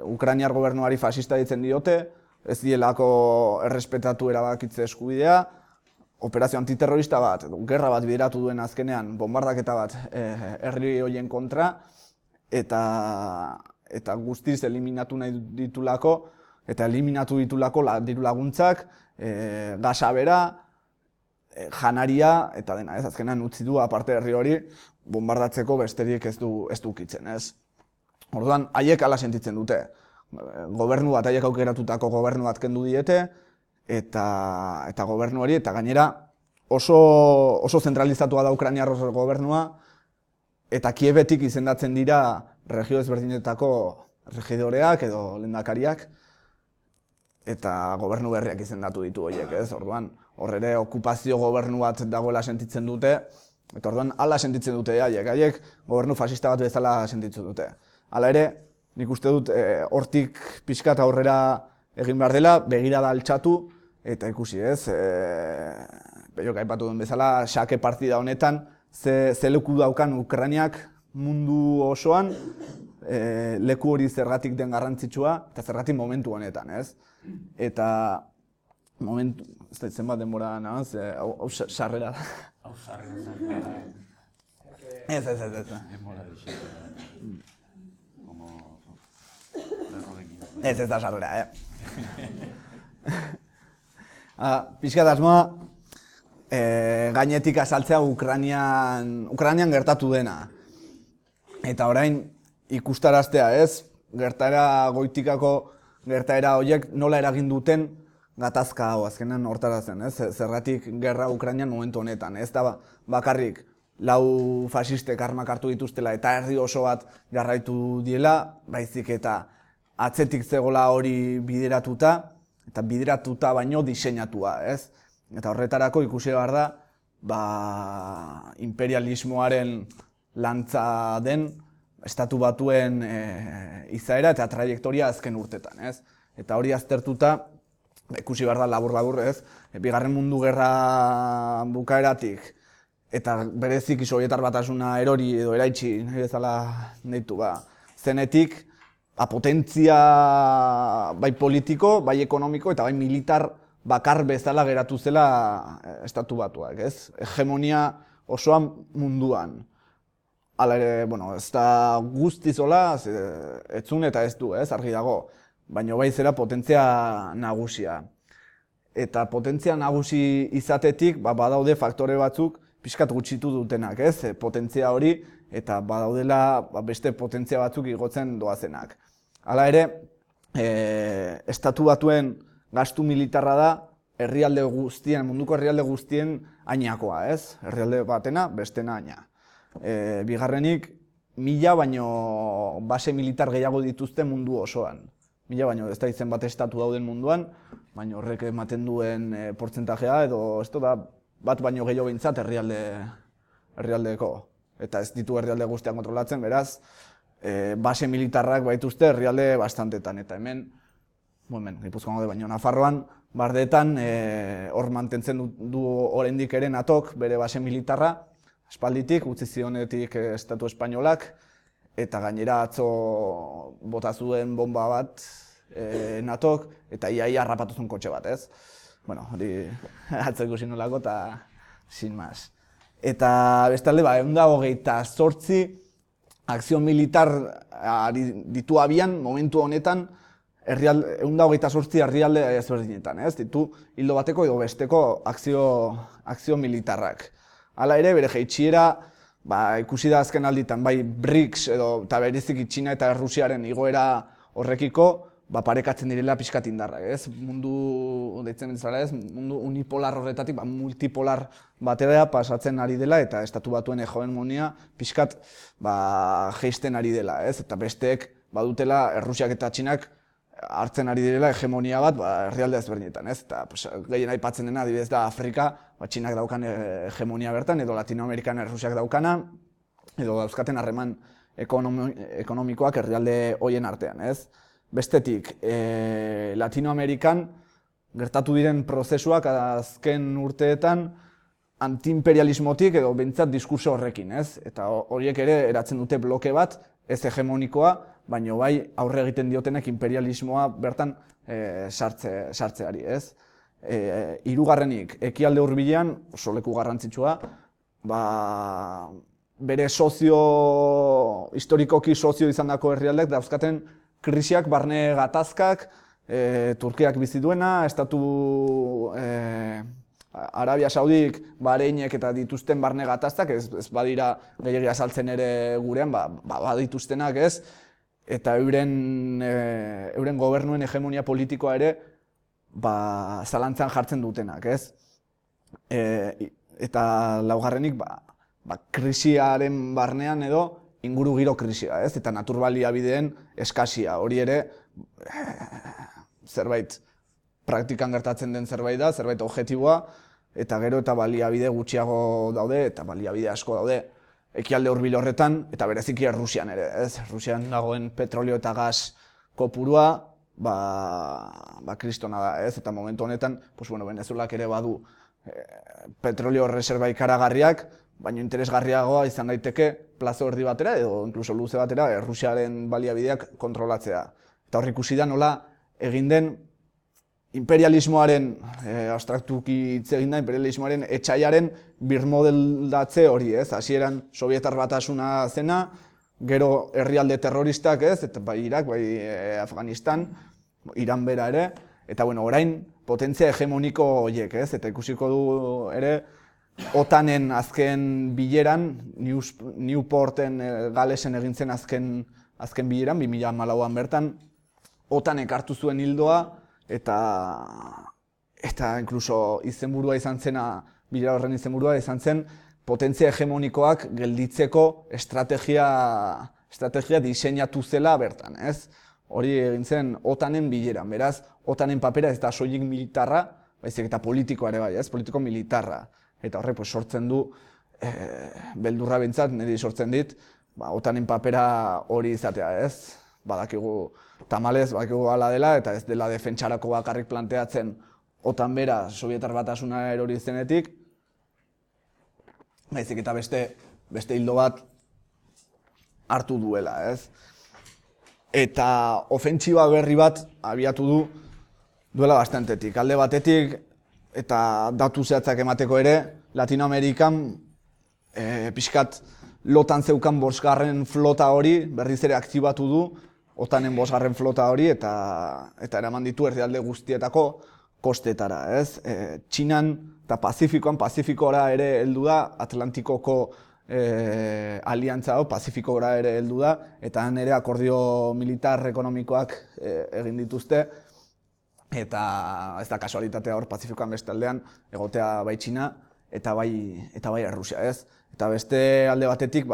Ukrainiar gobernuari fasista ditzen diote, ez dielako errespetatu erabakitze eskubidea, operazio antiterrorista bat, gerra bat bideratu duen azkenean, bombardaketa bat herri horien kontra, eta guztiz eliminatu nahi ditulako, eta eliminatu ditulako diru laguntzak, gasa bera, janaria, eta dena, ez, azkenean utzi du aparte herri hori, bombardatzeko besterik ez du ukitzen, ez. Orduan, haiek hala sentitzen dute. Gobernu bat, haiek aukeratutako gobernu bat kendu diete, eta gobernu hori, eta gainera oso zentralizatua da Ukrainiar gobernua, eta Kievetik izendatzen dira regio ezberdinetako regidoreak edo lehendakariak, eta gobernu berriak izendatu ditu horiek, ez? Orduan, hor ere okupazio gobernu bat dagoela sentitzen dute, eta orduan hala sentitzen dute haiek gobernu fascista bat bezala sentitzen dute. Hala ere, nik uste dut hortik pixkat aurrera egin behar dela, begirada altxatu, eta ikusi ez, Peiok aipatu duen bezala, xake partida honetan, ze leku daukan Ukrainiak mundu osoan, leku hori zergatik den garrantzitsua, eta zergatik momentu honetan, ez? Eta momentu, ez da zenbat denbora nahaz, hau sarrera da. Hau sarrera. Ez. Ez da sarrera, Pixkat asmoa, gainetik azaltzea Ukrainian gertatu dena. Eta orain ikustaraztea, ez? Gertaera goitikako gertaera horiek nola eragin duten gatazka hau, azkenean hortarazen, ez? Zergatik gerra Ukrainian momentu honetan, ez da bakarrik lau fasistek armak hartu dituztela eta herri oso bat jarraitu diela, baizik eta atzetik zegoela hori bideratuta, eta bideratuta baino diseinatua, ez? Eta horretarako ikusi behar da, imperialismoaren lantza den, estatu batuen izaera eta trajektoria azken urtetan, ez? Eta hori aztertuta, ikusi behar da labur-labur, ez? Bigarren mundu gerra bukaeratik, eta berezik Sobietar Batasuna erori edo eraitsi, nahi bezala deitu, zenetik, potentzia bai politiko, bai ekonomiko eta bai militar bakar bezala geratu zela estatu batuak, ez? Hegemonia osoan munduan. Hala ere, ez da guztiz hola, etzun eta ez du, argi dago, baina bai zera potentzia nagusia. Eta potentzia nagusi izatetik, badaude faktore batzuk pixkat gutxitu dutenak, potentzia hori, eta badaudela beste potentzia batzuk igotzen doazenak. Hala ere, estatu batuen gastu militarra da herrialde guztien, munduko herrialde guztien ainakoa, ez? Herrialde batena, bestena aina. Bigarrenik, 1000 baino base militar gehiago dituzte mundu osoan. 1000 baino ez da izen bat estatu dauden munduan, baina horrek ematen duen portzentajea edo ez da bat baino gehiago behintzat herrialdeko. Eta ez ditu herrialde guztiak kontrolatzen, beraz, base militarrak baituzte herrialde bastantetan. Eta hemen, Gipuzkoan gaude baino Nafarroan, bardeetan hor mantentzen du oraindik ere NATOk bere base militarra, aspalditik, utzi zionetik estatu espainolak, eta gainera atzo bota zuen bomba bat NATOk, eta ia harrapatu zuen kotxe bat, ez? Hori atzo ikusi nolako eta sin más. Eta bestalde, 128 akzio militar ditu abian momentu honetan 128 herrialde ezberdinetan, ez? Ditu hildo bateko edo besteko akzio militarrak. Hala ere, bere jaitsiera, ikusi da azken alditan, bai BRICS edo eta bereziki Txina eta Errusiaren igoera horrekiko, parekatzen direla pixkat indarrak, ez? Mundu, deitzen bezala ez, mundu unipolar horretatik, multipolar batera pasatzen ari dela eta estatu batuen hegemonia pixkat jeisten ari dela, ez? Eta besteek badutela Errusiak eta Txinak hartzen ari direla hegemonia bat herrialde ezberdinetan, ez? Eta gehien aipatzen dena, adibidez da Afrika, Txinak daukan hegemonia bertan, edo Latinoamerikan Errusiak daukana, edo dauzkaten harreman ekonomikoak herrialde horien artean, ez? Bestetik, Latinoamerikan gertatu diren prozesuak azken urteetan antiimperialismotik edo behintzat diskurso horrekin, ez? Eta horiek ere eratzen dute bloke bat, ez hegemonikoa, baina bai aurre egiten diotenek imperialismoa bertan sartzeari, ez? Hirugarrenik, ekialde hurbilean, oso leku garrantzitsua, bere historikoki sozio izandako herrialdeek dauzkaten krisiak, barne gatazkak, Turkiak bizi duena, Arabia Saudik, Bahreinek eta dituzten barne gatazkak, ez badira gehiegi azaltzen ere gurean, badituztenak ez, eta euren gobernuen hegemonia politikoa ere zalantzan jartzen dutenak, ez? Eta laugarrenik, krisiaren barnean edo ingurugiro krisia, ez? Eta naturbaliabideen eskasia, hori ere zerbait praktikan gertatzen den zerbait da, zerbait objektiboa, eta gero eta baliabide gutxiago daude, eta baliabide asko daude ekialde hurbil horretan, eta bereziki Errusian ere, ez? Errusian dagoen petrolio eta gas kopurua, kristona da, ez? Eta momentu honetan, Venezuelak ere badu petrolio reserba ikaragarriak, baina interesgarriagoa izan daiteke plazo erdi batera, edo inkluso luze batera, Errusiaren baliabideak kontrolatzea. Eta hor ikusi da nola egin den imperialismoaren, abstraktuki hitz egin da, imperialismoaren etxaiaren birmodeldatze hori, ez? Hasieran Sobietar Batasuna zena, gero herrialde terroristak, ez? Eta bai Irak, bai Afganistan, Iran bera ere, eta orain potentzia hegemoniko horiek, ez? Eta ikusiko du ere OTANen azken bileran, Newporten, Galesen egin zen azken bileran, 2014an bertan, OTAnek hartu zuen ildoa, eta inkluso izenburua izan zena, bilera horren izenburua izan zen, potentzia hegemonikoak gelditzeko estrategia diseinatu zela bertan, ez? Hori egin zen OTAnen bileran, beraz, OTAnen papera ez da soilik militarra, baizik eta politikoa ere bai, ez? Politiko militarra. Eta horrek sortzen du, beldurra bintzat, niri sortzen dit, OTAnen papera hori izatea, ez? Badakigu tamalez, badakigu hala dela, eta ez dela defentsarako bakarrik planteatzen OTAN bera Sobietar Batasuna erori zenetik, baizik eta beste hildo bat hartu duela, ez? Eta ofentsiba berri bat abiatu duela bastantetik. Alde batetik, eta datu zehatzak emateko ere, Latinoamerikan pixkat lotan zeukan 5. flota hori berriz ere aktibatu du, OTAnen 5. flota hori, eta eraman ditu herrialde guztietako kostetara, ez? Txinan eta Pazifikora ere heldu da, Atlantikoko aliantza hau, Pazifikora ere heldu da, eta han ere akordio militar ekonomikoak egin dituzte, eta ez da kasualitatea hor Pazifikoan beste aldean, egotea bai Txina eta bai Errusia, ez? Eta beste alde batetik,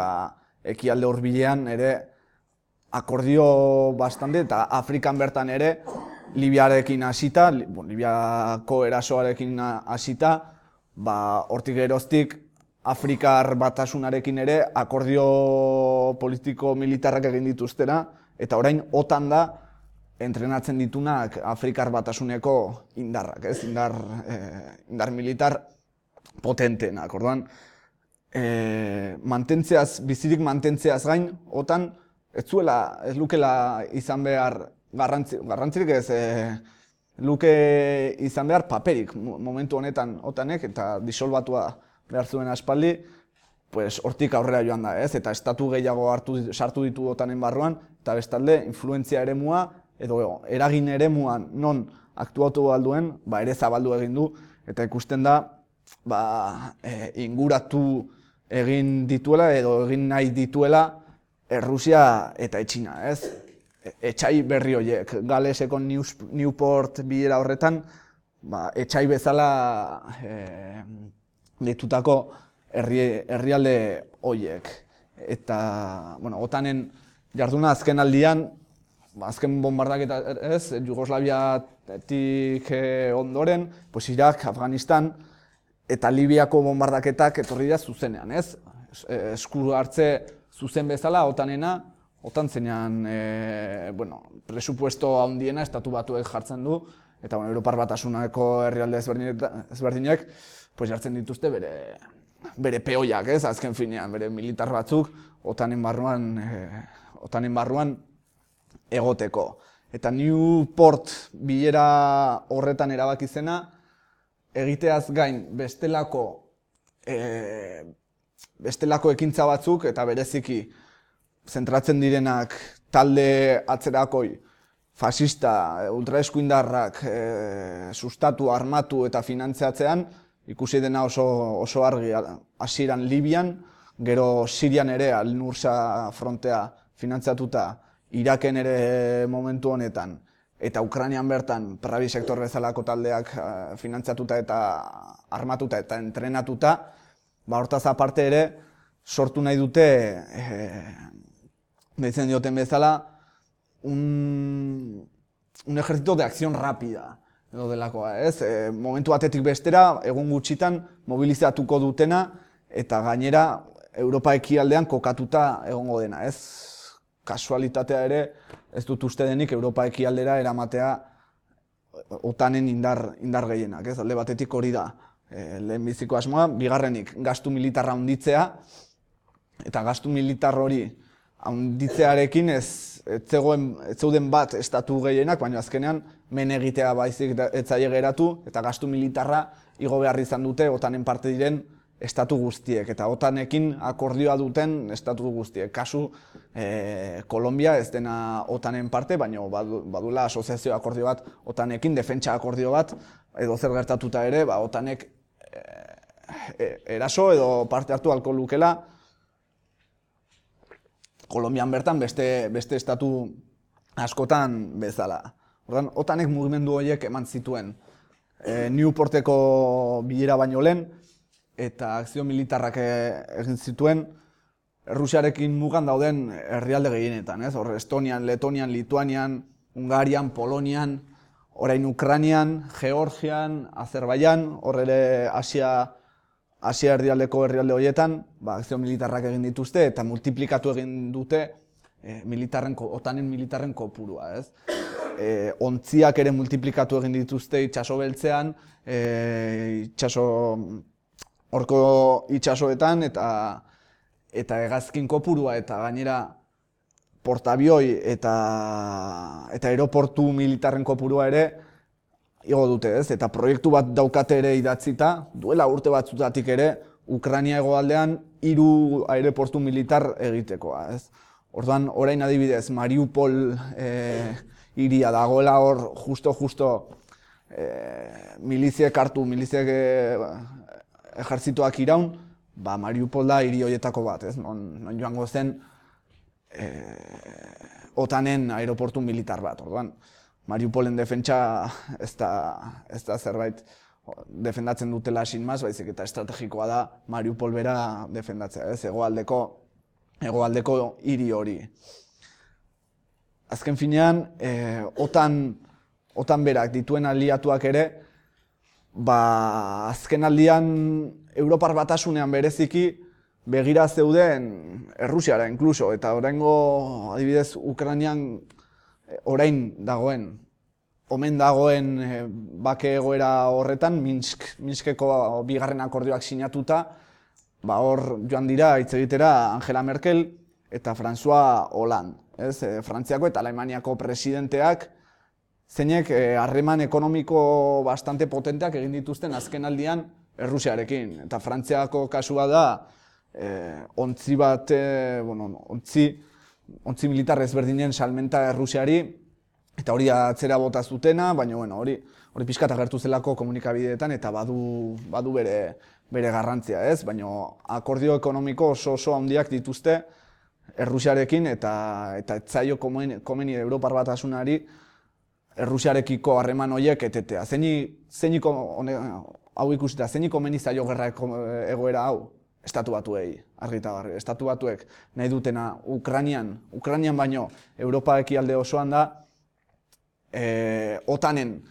ekialde hurbilean ere akordio bastante, eta Afrikan bertan ere Libiarekin hasita, Libiako erasoarekin hasita, hortik geroztik Afrikar Batasunarekin ere akordio politiko-militarrak egin dituztera, eta orain OTAN da entrenatzen ditunak Afrikar Batasuneko indarrak, ez? Indar militar potentenak, orduan, bizirik mantentzeaz gain, OTAN ez lukela izan behar garrantzirik ez, luke izan behar paperik momentu honetan OTAnek, eta disolbatua behar zuen aspaldi, hortik aurrera joan da, ez? Eta estatu gehiago sartu ditu OTAnen barruan, eta bestalde, influentzia eremua, edo eragin eremuan non aktuatu alduen, ere zabaldu egin du, eta ikusten da, inguratu egin dituela, edo egin nahi dituela, Errusia eta Txina, ez? Etxai berri horiek, Galeseko Newport bilera horretan, etxai bezala ditutako herrialde horiek. Eta, OTAnen jarduna azken aldian, azken bombardaketa ez, Jugoslaviatik ondoren, Irak, Afganistan, eta Libiako bombardaketak etorri da zuzenean, ez? Esku hartze zuzen bezala, OTAN zenean, presupuesto handiena estatu batuek jartzen du, eta Europar Batasuneko herrialde ezberdinek jartzen dituzte bere peoiak, ez? Azken finean, bere militar batzuk OTAnen barruan egoteko. Eta Newport bilera horretan erabaki zena, egiteaz gain bestelako ekintza batzuk eta bereziki zentratzen direnak talde atzerakoi, fasista, ultraeskuindarrak sustatu, armatu eta finantziatzean, ikusi dena oso argi hasieran Libian, gero Sirian ere Al-Nusra frontea finantziatuta, Iraken ere momentu honetan, eta Ukrainian bertan Pravi sektor bezalako taldeak finantziatuta eta armatuta eta entrenatuta, hortaz aparte ere sortu nahi dute, deitzen dioten bezala, un ejército de acción rápida, edo delakoa, ez? Momentu batetik bestera, egun gutxitan mobilizatuko dutena, eta gainera Europa ekialdean kokatuta egongo dena, ez? Kasualitatea ere, ez dut uste denik Europa ekialdera eramatea OTANen indar gehienak, ez? Alde batetik hori da, lehenbiziko asmoa, bigarrenik gastu militarra handitzea, eta gastu militar hori handitzearekin ez zeuden bat estatu gehienak, baina azkenean men egitea baizik ez zaie geratu, eta gastu militarra igo behar izan dute OTANen parte diren estatu guztiek, eta OTANekin akordioa duten estatu guztiek. Kasu, Kolombia ez dena OTANen parte, baina badula asoziazio akordio bat OTANekin, defentsa akordio bat, edo zer gertatuta ere, OTANek eraso edo parte hartu ahalko lukela, Kolombian bertan beste estatu askotan bezala. Orduan, OTANek mugimendu horiek eman zituen Newporteko bilera baino lehen, eta akzio militarrak egin zituen Errusiarekin mugan dauden herrialde gehienetan, ez? Hor, Estonian, Letonian, Lituanian, Hungarian, Polonian, orain Ukrainian, Georgian, Azerbaijan, hor ere Asia herrialdeko herrialde horietan, akzio militarrak egin dituzte eta multiplikatu egin dute OTANen militarren kopurua, ez? Ontziak ere multiplikatu egin dituzte itsaso beltzean, horko itsasoetan eta hegazkin kopurua eta gainera portabioi eta aeroportu militarren kopurua ere igo dute, ez? Eta proiektu bat daukate ere idatzita, duela urte batzutatik ere, Ukraina hegoaldean 3 aeroportu militar egitekoa, ez? Orduan, orain adibidez, Mariupol hiria dagoela hor justo miliziek hartu, miliziek ejertzitoak iraun, Mariupol da hiri horietako bat, ez? Non joango zen OTANen aeroportu militar bat, orduan. Mariupolen defentsa ez da zerbait defendatzen dutela sinmaz, baizik eta estrategikoa da Mariupol bera defendatzea, ez? Hegoaldeko hiri hori. Azken finean, OTAN berak dituen aliatuak ere, azken aldian Europar Batasunean bereziki begira zeuden Errusiara inkluso, eta oraingo adibidez Ukrainian orain dagoen, omen dagoen bake egoera horretan, Minskeko bigarren akordioak sinatuta, hor joan dira hitz egitera Angela Merkel eta François Hollande, ez? Frantziako eta Alemaniako presidenteak, zeinek harreman ekonomiko bastante potenteak egin dituzten azken aldian Errusiarekin. Eta Frantziako kasua da, ontzi militar ezberdinen salmenta Errusiari, eta hori atzera bota zutena, baina hori pixkat agertu zelako komunikabideetan eta badu bere garrantzia, ez? Baina akordio ekonomiko oso handiak dituzte Errusiarekin eta etzaio komeni Europar Batasunari Errusiarekiko harreman horiek etetea. Hau ikusita, zeinik komeni zaio gerra egoera hau? Estatu Batuei, argi eta garbi. Estatu Batuek nahi dutena Ukrainian baino Europa ekialde osoan da, OTANen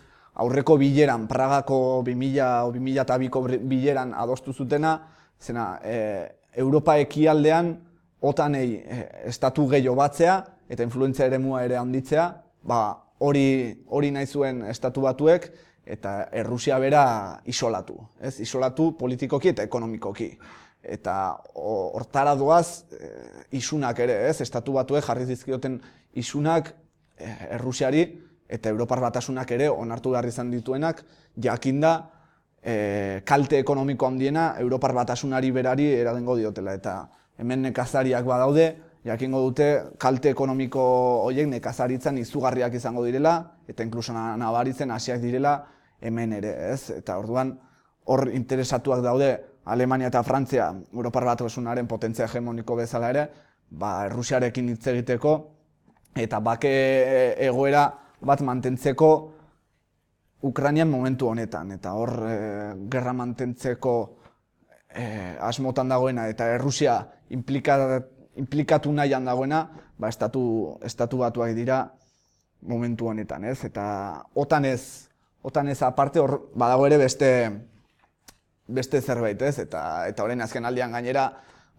aurreko bileran, Pragako 2002ko bileran adostu zutena, zena Europa ekialdean OTANei estatu gehiago batzea eta influentzia eremua ere handitzea, hori nahi zuen Estatu Batuek eta Errusia bera isolatu, ez? Isolatu politikoki eta ekonomikoki. Eta hortara doaz isunak ere, ez? Estatu Batuek jarri dizkioten isunak Errusiari eta Europar Batasunak ere onartu behar izan dituenak, jakinda kalte ekonomiko handiena Europar Batasunari berari eragingo diotela. Eta hemen nekazariak badaude, jakingo dute kalte ekonomiko horiek nekazaritzan izugarriak izango direla, eta inkluso nabaritzen hasiak direla hemen ere, ez? Eta orduan hor interesatuak daude Alemania eta Frantzia Europar Batasunaren potentzia hegemoniko bezala ere, Errusiarekin hitz egiteko eta bake egoera bat mantentzeko Ukrainian momentu honetan. Eta hor gerra mantentzeko asmotan dagoena eta Errusia implikatu nahian dagoena, estatu batuak dira momentu honetan, ez? Eta OTANez aparte hor badago ere beste zerbait, ez? Eta orain azken aldian gainera,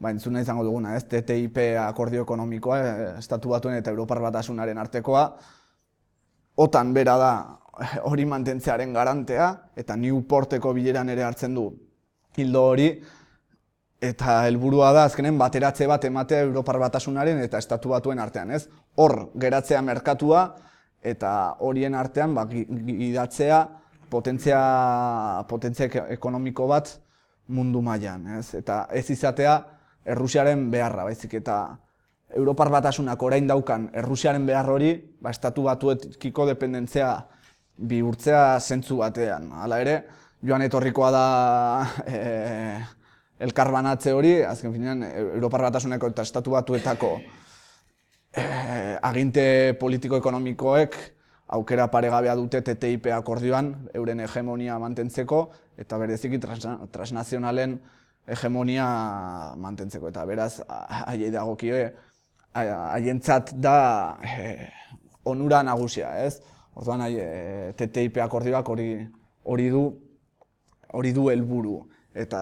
entzuna izango duguna, ez? TTIP akordio ekonomikoa, estatu batuen eta Europar Batasunaren artekoa, OTAN bera da hori mantentzearen garantea, eta Newporteko bileran ere hartzen du hildo hori, eta helburua da azkenen bateratze bat ematea Europar Batasunaren eta estatu batuen artean, ez? Hor geratzea merkatua eta horien artean gidatzea potentzia ekonomiko bat mundu mailan, ez? Eta ez izatea Errusiaren beharra, baizik eta Europar Batasunak orain daukan Errusiaren behar hori, estatu batuekiko dependentzia bihurtzea zentzu batean. Hala ere, joan etorrikoa da elkarbanatze hori, azken finean Europar Batasuneko eta estatu batuetako aginte politiko-ekonomikoek aukera paregabea dute TTIP akordioan euren hegemonia mantentzeko eta bereziki transnazionalen hegemonia mantentzeko. Eta beraz, haiei dagokie, haientzat da onura nagusia, ez? Orduan, TTIP akordioak hori du helburu. Eta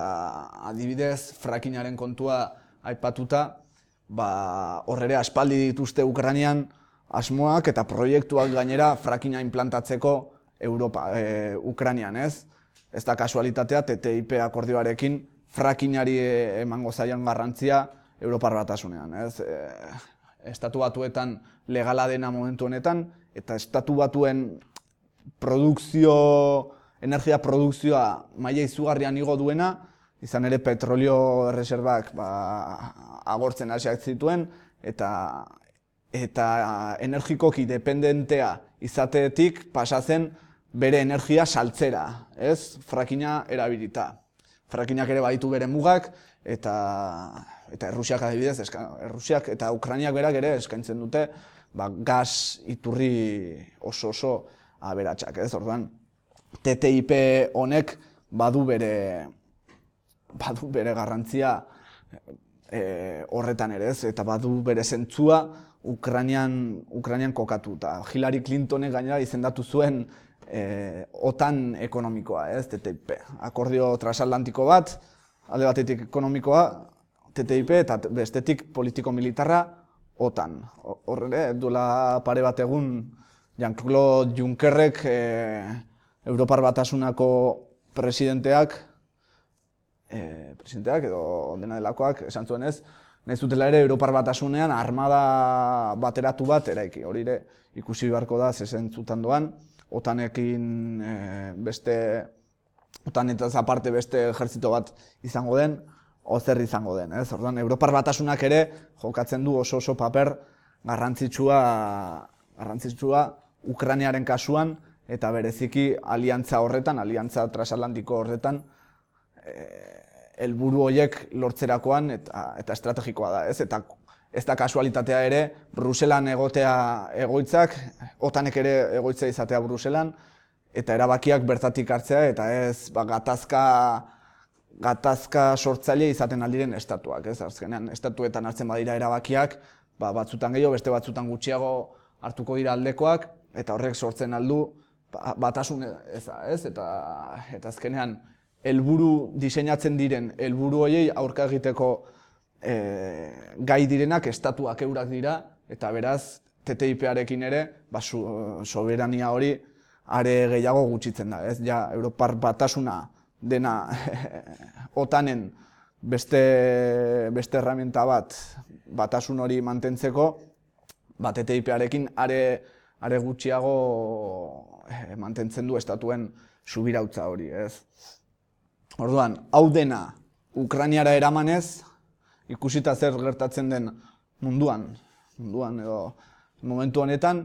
adibidez, frackingaren kontua aipatuta, hor ere aspaldi dituzte Ukrainian asmoak eta proiektuak gainera frackinga implantatzeko Ukrainian, ez? Ez da kasualitatea TTIP akordioarekin frackingari emango zaion garrantzia Europar Batasunean, ez? Estatu batuetan legala dena momentu honetan, eta estatu batuen energia produkzioa maila izugarrian igo duena, izan ere petrolio erreserbak agortzen hasiak zituen, eta energikoki dependentea izatetik pasatzen bere energia saltzera, ez? Frackinga erabilita. Frackingak ere baditu bere mugak, eta Errusiak adibidez, Errusiak eta Ukrainiak berak ere eskaintzen dute gas iturri oso aberatsak, ez? Orduan, TTIP honek badu bere garrantzia horretan ere, ez? Eta badu bere zentzua Ukrainian kokatu. Eta Hillary Clintonek gainera izendatu zuen OTAN ekonomikoa, ez? TTIP. Akordio transatlantiko bat, alde batetik ekonomikoa, TTIP, eta bestetik politiko-militarra, OTAN. Horre, duela pare bat egun, Jean-Claude Junckerrek Europar Batasunako presidenteak edo dena delakoak esan zuen ez, nahi zutela ere Europar Batasunean armada bateratu bat eraiki. Hori ere ikusi beharko da zezentzutan doan, OTANekin OTANetaz aparte beste ejertzito bat izango den, ozer izango den, ez? Orduan, Europar Batasunak ere jokatzen du oso paper garrantzitsua Ukrainiaren kasuan, eta bereziki aliantza horretan, aliantza transatlantiko horretan, helburu horiek lortzerakoan eta estrategikoa da, ez? Eta ez da kasualitatea ere, Bruselan egotea egoitzak, OTAnek ere egoitza izatea Bruselan, eta erabakiak bertatik hartzea, eta ez gatazka sortzaile izaten aldiren estatuak, ez? Azkenean, estatuetan hartzen badira erabakiak, batzutan gehiago, beste batzutan gutxiago hartuko dira aldekoak, eta horrek sortzen aldu batasun eza, ez? Eta azkenean, diseinatzen diren helburu horiei aurka egiteko gai direnak estatuak eurak dira, eta beraz, TTIP-arekin ere, soberania hori are gehiago gutxitzen da, ez? Ja, Europar Batasuna dena OTANen beste herramienta bat batasun hori mantentzeko, TTIP-arekin are gutxiago mantentzen du estatuen subirautza hori, ez? Orduan, hau dena Ukrainiara eramanez, ikusita zer gertatzen den munduan edo momentu honetan,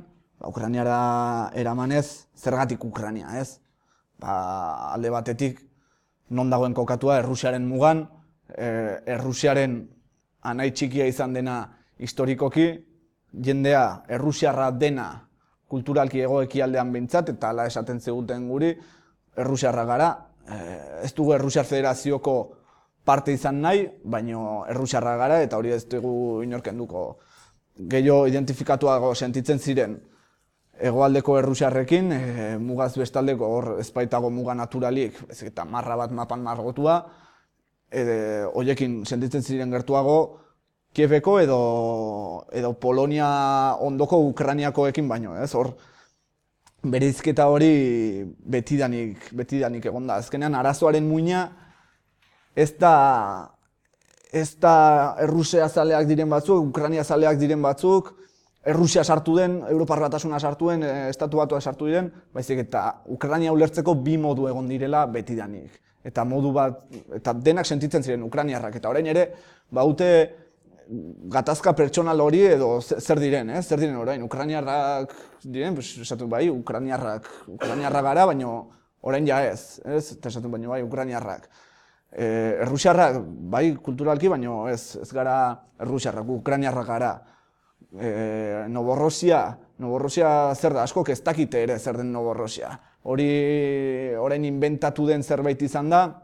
Ukrainiara eramanez, zergatik Ukraina, ez? Alde batetik, non dagoen kokatua Errusiaren mugan, Errusiaren anai txikia izan dena historikoki, jendea Errusiarra dena kulturalki hego-ekialdean behintzat, eta hala esaten ziguten guri, Errusiarra gara, ez dugu Errusiar Federazioko parte izan nahi, baino Errusiarra gara, eta hori ez dugu inorkenduko. Gehiago identifikatuago sentitzen ziren hegoaldeko Errusiarrekin, mugaz bestaldeko hor ezpaitago muga naturalik, eta marra bat mapan margotua, horiekin sentitzen ziren gertuago Kieveko edo Polonia ondoko Ukrainiakoekin baino, ez? Hor bereizketa hori betidanik egon da. Azkenean arazoaren muina ez da Errusia zaleak diren batzuk, Ukraina zaleak diren batzuk, Errusia sartu den, Europar Batasuna sartu den, Estatu Batuak sartu diren, baizik eta Ukraina ulertzeko bi modu egon direla betidanik. Eta modu bat, eta denak sentitzen ziren ukrainiarrak, eta orain ere, baute gatazka pertsonal hori edo zer diren, zer diren orain, ukrainiarrak diren, esatu bai, ukrainiarrak gara, baina orain ja ez, eta esatu baina bai, ukrainiarrak. Errusiarrak, bai, kulturalki, baina ez gara errusiarrak, ukrainiarrak gara. Novorossia zer da, askok ez dakite ere zer den Novorossia. Hori orain inventatu den zerbait izan da,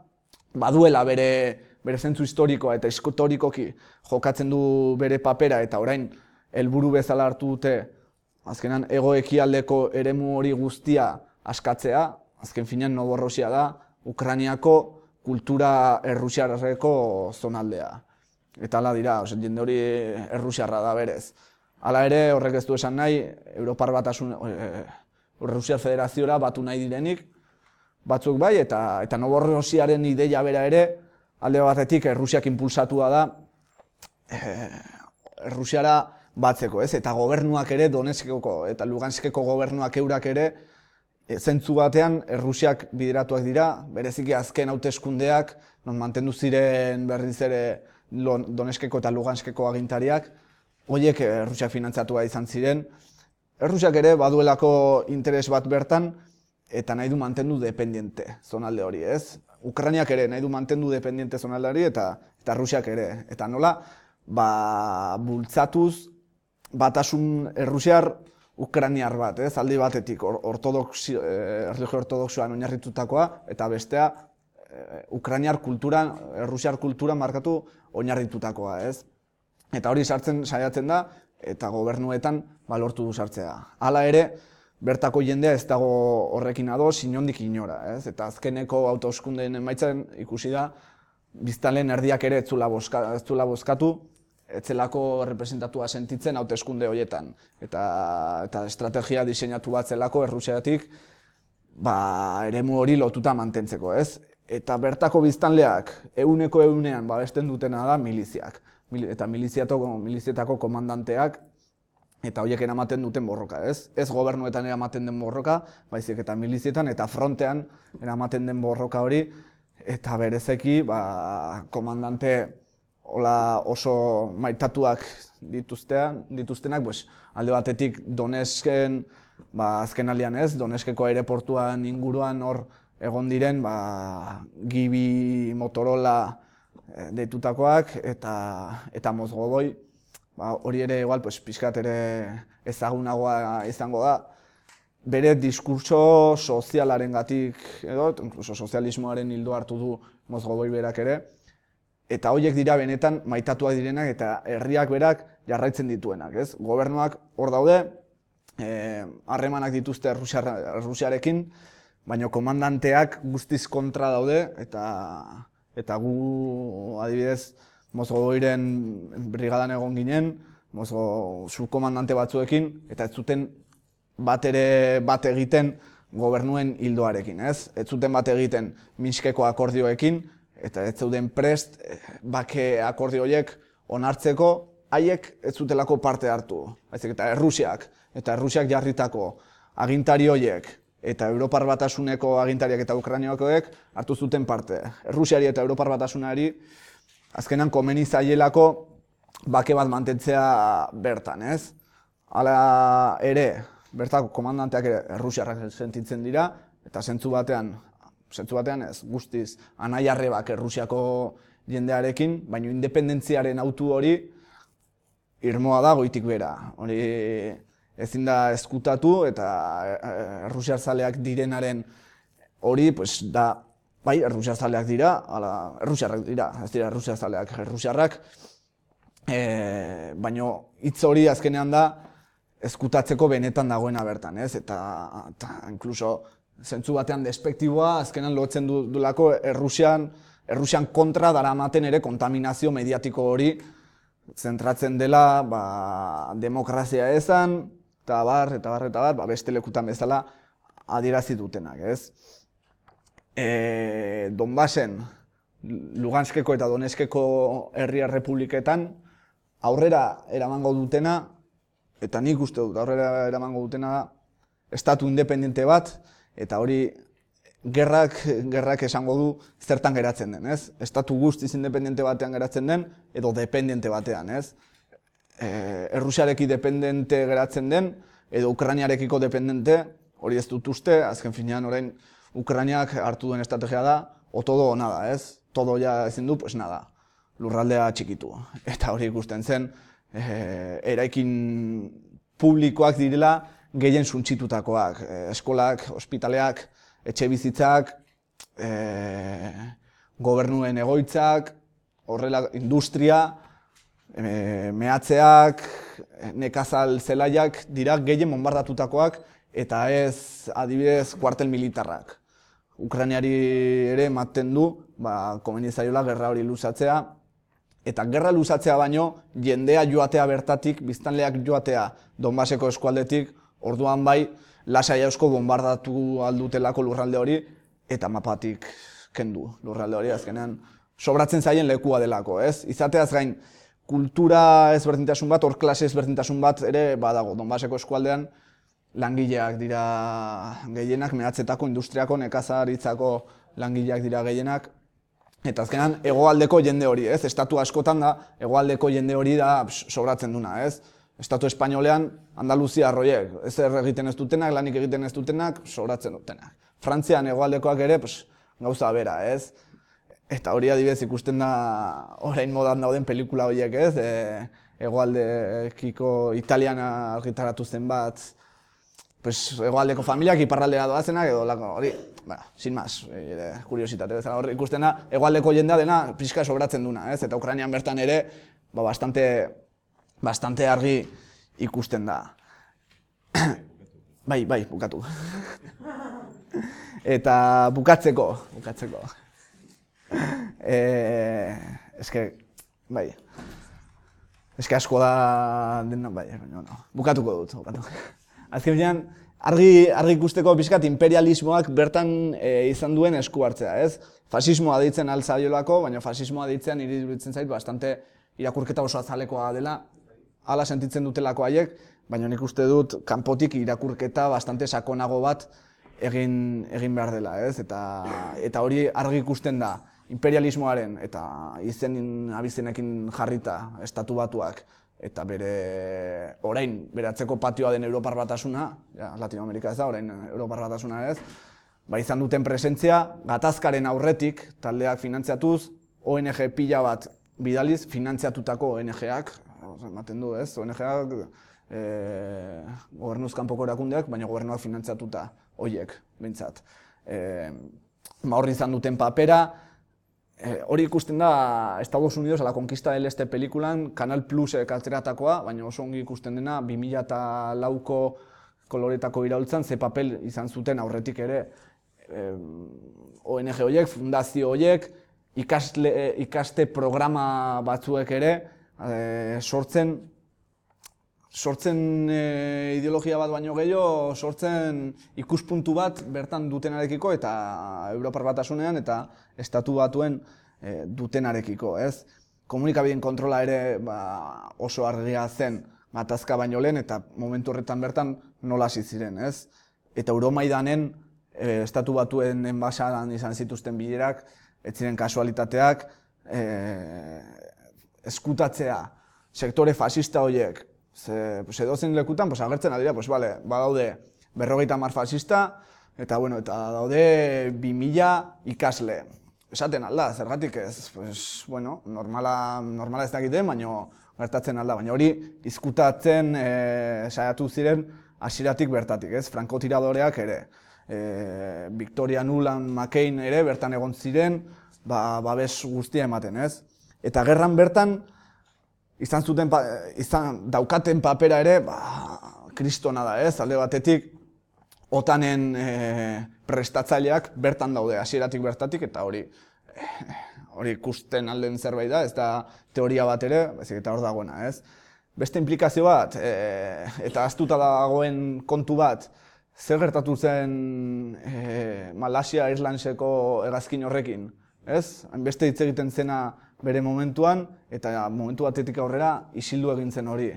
baduela bere zentzu historikoa eta historikoki jokatzen du bere papera eta orain helburu bezala hartu dute azkenan hego-ekialdeko eremu hori guztia askatzea, azken finean Novorossia da, Ukrainiako kultura errusiarreko zonaldea. Eta hala dira, jende hori errusiarra da berez. Hala ere, horrek ez du esan nahi, Europar Batasun, Errusiar Federaziora batu nahi direnik, batzuk bai, eta Novorossiaren ideia bera ere, alde batetik Errusiak impulsatua da, Errusiara batzeko, ez? Eta gobernuak ere, Donetskeko eta Luganskeko gobernuak eurak ere, zentzu batean Errusiak bideratuak dira, bereziki azken hauteskundeak, non mantendu ziren berriz ere Donetskeko eta Luganskeko agintariak, horiek Errusiak finantzatua izan ziren. Errusiak ere baduelako interes bat bertan, eta nahi du mantendu dependiente zonalde hori, ez? Ukrainiak ere nahi du mantendu dependiente zonalde hori, eta Errusiak ere. Eta nola, bultzatuz batasun errusiar ukrainiar bat, ez? Aldi batetik, erlijio ortodoxoan oinarritutakoa, eta bestea, ukrainiar kultura, errusiar kultura markatu oinarritutakoa, ez? Eta hori sartzen saiatzen da, eta gobernuetan lortu du sartzea. Hala ere, bertako jendea ez dago horrekin ados, inondik inora, ez? Eta azkeneko hauteskundeen emaitzan ikusi da, biztanleen erdiak ere ez zuela bozkatu, ez zelako representatua sentitzen hauteskunde horietan. Eta estrategia diseinatu bat zelako Errusiatik, eremu hori lotuta mantentzeko, ez? Eta bertako biztanleak ehuneko ehunean babesten dutena da miliziak. Eta milizietako komandanteak eta horiek eramaten duten borroka, ez? Ez gobernuetan eramaten den borroka, baizik eta milizietan eta frontean eramaten den borroka hori, eta berezeki komandante oso maitatuak dituztenak, alde batetik Donetsken, azken aldean ez, Donetskeko aireportuan inguruan hor egon diren, Gibi, Motorola deitutakoak eta Mozgoboi, hori ere igual, pixkat ere ezagunagoa izango da, bere diskurtso sozialarengatik edo, inkluso sozialismoaren ildo hartu du Mozgoboi berak ere, eta horiek dira benetan maitatuak direnak eta herriak berak jarraitzen dituenak, ez? Gobernuak hor daude, harremanak dituzte Errusiarekin, baina komandanteak guztiz kontra daude, eta gu, adibidez, Mozgoboiren brigadan egon ginen, subkomandante batzuekin, eta ez zuten bat egiten gobernuen hildoarekin, ez? Ez zuten bat egiten Minskeko akordioekin, eta ez zeuden prest bake akordio horiek onartzeko, haiek ez zutelako parte hartu. Baizik eta Errusiak jarritako agintari horiek eta Europar Batasuneko agintariak eta Ukrainiakoek hartu zuten parte. Errusiari eta Europar Batasunari azkenan komeni zaielako bake bat mantentzea bertan, ez? Hala ere, bertako komandanteak ere errusiarrak sentitzen dira, eta zentzu batean ez, guztiz anai-arrebak Errusiako jendearekin, baina independentziaren autu hori irmoa da goitik bera. Hori ezin da ezkutatu eta errusiarzaleak direnaren hori, pues da, bai, errusiarzaleak dira, errusiarrak dira, ez dira errusiarzaleak, errusiarrak, baina hitz hori azkenean da ezkutatzeko benetan dagoena bertan, ez? Eta inkluso zentzu batean despektiboa azkenan lotzen dulako Errusian kontra daramaten ere kontaminazio mediatiko hori zentratzen dela demokrazia ezan, eta bar, beste lekutan bezala adierazi dutenak, ez? Donbasen, Luganskeko eta Donetskeko herri errepubliketan aurrera eramango dutena, eta nik uste dut aurrera eramango dutena da, estatu independente bat, eta hori gerrak esango du zertan geratzen den, ez? Estatu guztiz independente batean geratzen den, edo dependente batean, ez? Errusiareki dependente geratzen den, edo Ukrainiarekiko dependente, hori ez dut uste, azken finean orain Ukrainiak hartu duen estrategia da, o todo o nada, ez? Todo ja ezin du, pues nada, lurraldea txikitu. Eta hori ikusten zen, eraikin publikoak direla gehien suntsitutakoak, eskolak, ospitaleak, etxe bizitzak, gobernuen egoitzak, horrela industria, mehatzeak, nekazal zelaiak dira gehien bonbardatutakoak eta ez adibidez kuartel militarrak. Ukrainiari ere ematen du, komeni zaiola gerra hori luzatzea, eta gerra luzatzea baino jendea joatea bertatik, biztanleak joatea Donbaseko eskualdetik, orduan bai lasai asko bonbardatu aldutelako lurralde hori, eta mapatik kendu lurralde hori azkenean sobratzen zaien lekua delako, ez? Izateaz gain, kultura ezberdintasun bat, hor klase ezberdintasun bat ere badago. Donbaseko eskualdean langileak dira gehienak, mehatzetako, industriako, nekazaritzako langileak dira gehienak, eta azkenean hegoaldeko jende hori, ez? Estatu askotan da, hegoaldeko jende hori da sobratzen duna, ez? Estatu espainolean, Andaluzia arroiek, ezer egiten ez dutenak, lanik egiten ez dutenak, sobratzen dutenak. Frantzian hegoaldekoak ere, gauza bera, ez? Eta hori adibidez ikusten da orain modan dauden pelikula horiek, ez? Hegoaldekiko Italian argitaratu zen bat, hegoaldeko familiak iparraldera doazenak edo lako hori, sin más, kuriositate bezala hori ikusten da, hegoaldeko jendea dena pixka sobratzen duna, ez? Eta Ukrainian bertan ere, bastante argi ikusten da. Bai, bukatu. Eta bukatzeko. Eske asko da dena, bukatuko dut. Azkenean, argi ikusteko pixkat imperialismoak bertan izan duen esku hartzea, ez? Fasismoa deitzen altzaiolako, baina fasismoa deitzen iruditzen zait bastante irakurketa oso azalekoa dela, hala sentitzen dutelako haiek, baina nik uste dut kanpotik irakurketa bastante sakonago bat egin behar dela, ez? Eta hori argi ikusten da imperialismoaren eta izen abizenekin jarrita estatu batuak eta orain beratzeko patioa den Europar Batasuna, Latinoamerika ez da, orain Europar Batasuna ez, izan duten presentzia, gatazkaren aurretik taldeak finantziatuz, ONG pila bat bidaliz finantziatutako ONG-ak, ematen du ez, ONG-ak gobernuz kanpoko erakundeak, baina gobernuak finantziatuta horiek, behintzat. Horri izan duten papera, hori ikusten da Estados Unidos a la conquista del este pelikulan, Canal Plus ateratakoa, baina oso ongi ikusten dena 2004ko koloretako iraultzan, ze papel izan zuten aurretik ere ONG horiek, fundazio horiek, ikaste programa batzuek ere sortzen ideologia bat baino gehiago, sortzen ikuspuntu bat bertan dutenarekiko eta Europar Batasunean eta Estatu Batuen dutenarekiko, ez? Komunikabideen kontrola ere oso argia zen gatazka baino lehen eta momentu horretan bertan nola hasi ziren, ez? eta Euromaidanen Estatu Batuen enbaxadan izan zituzten bilerak, ez ziren kasualitateak, eskutatzea sektore fascista horiek, edozein lekutan agertzen adira, badaude 50 fascista, eta daude 2000 ikasle. Esaten alda, zergatik ez, normala ez dakiten, baina gertatzen alda, baina hori izkutatzen saiatu ziren hasieratik bertatik, ez? Frankotiradoreak ere, Victoria Nuland McCain ere bertan egon ziren, babes guztia ematen, ez? Eta gerran bertan daukaten papera ere, kristona da, ez? Alde batetik, OTANen prestatzaileak bertan daude, hasieratik bertatik, eta hori ikusten alden zerbait da, ez da teoria bat ere, eta hor dagoena, ez? Beste implikazio bat, eta ahaztuta dagoen kontu bat, zer gertatu zen Malasia Airlineseko hegazkin horrekin, ez? Hainbeste hitz egiten zena bere momentuan, eta momentu batetik aurrera isildu egin zen hori.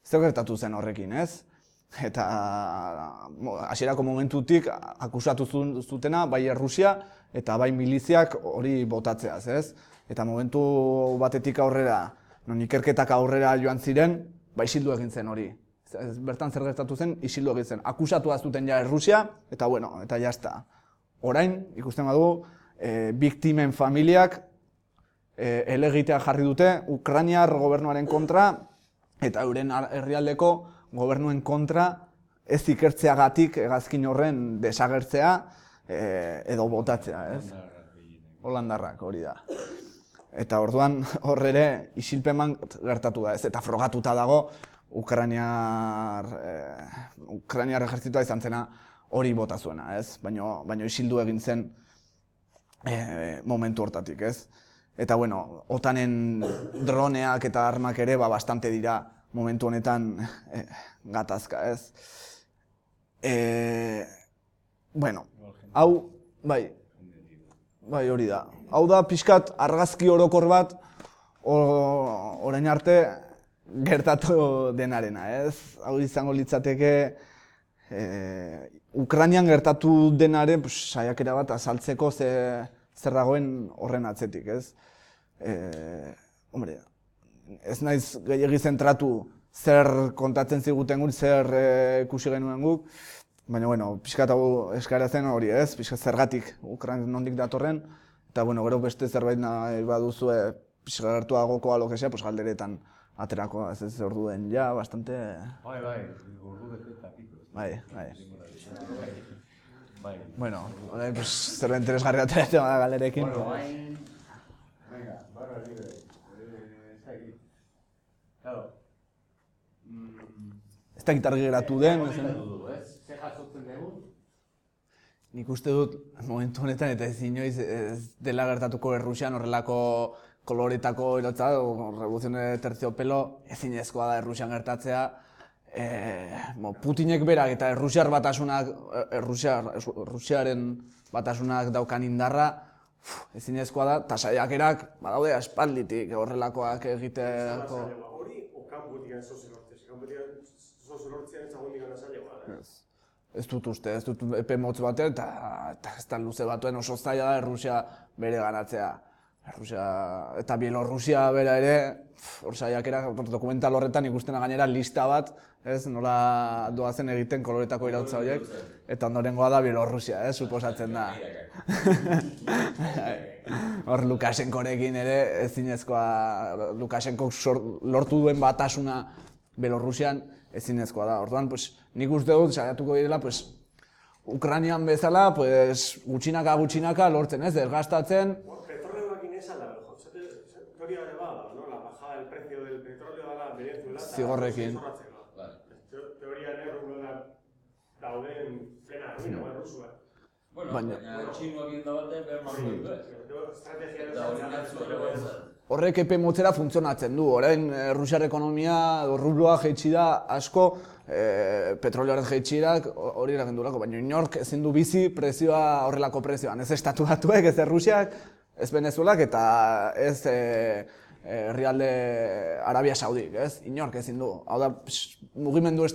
Zer gertatu zen horrekin, ez? Eta hasierako momentutik akusatu zutena bai Errusia eta bai miliziak hori botatzeaz, ez? Eta momentu batetik aurrera, non ikerketak aurrera joan ziren, isildu egin zen hori. Bertan zer gertatu zen, isildu egin zen. Akusatu zuten ja Errusia, eta eta jazta. Orain, ikusten badugu, biktimen familiak helegitea jarri dute Ukrainiar gobernuaren kontra eta euren herrialdeko gobernuen kontra ez ikertzeagatik hegazkin horren desagertzea edo botatzea, ez? Holandarrak hori da. Eta orduan hor ere isilpeman gertatu da, ez? Eta frogatuta dago Ukrainiar ejertzitoa izan zena hori bota zuena, ez? Baina isildu egin zen momentu hortatik, ez? Eta OTANen droneak eta armak ere bastante dira momentu honetan gatazka, ez? Hau, bai hori da. Hau da pixkat argazki orokor bat orain arte gertatu denarena, ez? Hau izango litzateke Ukrainian gertatu denaren saiakera bat azaltzeko zer dagoen horren atzetik, ez? Ez naiz gehiegi zentratu zer kontatzen ziguten guk, zer ikusi genuen guk, baina, pixkat hau eskaera zen hori, ez? Pixkat zergatik Ukrainian nondik datorren, eta gero beste zerbait nahi baduzue pixkat gertuagoko alokesea, galderetan aterako, ez orduen, ja, bastante... Bai, ordu eta piko. Bai. Orain, zerbait interesgarri ateratzen da galderekin. Venga, barra libre. Claro. Ez da gitarri geratu den. Zer jasotzen dugu? Nik uste dut, momentu honetan eta ez inoiz ez dela gertatuko Errusian horrelako koloretako erotza, Revolución de Terciopelo, ezinezkoa da Errusian gertatzea. Putinek berak eta Errusiaren batasunak daukan indarra, ezinezkoa da, eta saiakerak badaude aspalditik horrelakoak egiteko. Hori, okanbutik sozilortzea, sozilortzea entzagundik anazailegoa. Ez dut epe motz batean, eta ez da luze batuen oso zaila da Errusia bere ganatzea. Eta Bielorrusia bera ere, hor saiakera, dokumental horretan ikustena gainera lista bat, nola doazen egiten koloretako irautza horiek, eta ondorengoa da Bielorrusia, suposatzen da. Hor Lukashenkorekin ere ezinezkoa, Lukashenkok lortu duen batasuna Bielorrusian ezinezkoa da. Orduan, nik uste dut, saiatuko direla, Ukrainian bezala, gutxinaka lortzen, desgastatzen. Petrolioakin ezala, teoria ere bada, la bajada del precio del petróleo dela Venezuela. Zigorrekin. Teoria ere dauden plena arruina, Rusua. Baina txinoak indabate behar marru Horrek epe motzera funtzionatzen du. Orain, Rusiar ekonomia, rubloa jeitsi da asko, petrolioaren jeitsirak hori eragendurako, baina inork ezin du bizi prezioa horrelako prezioan. Ez estatu batuek, ez Rusiak, ez Venezuelak eta ez herrialde Arabia Saudik, ez? Inork ezin du. Hau da, mugimendu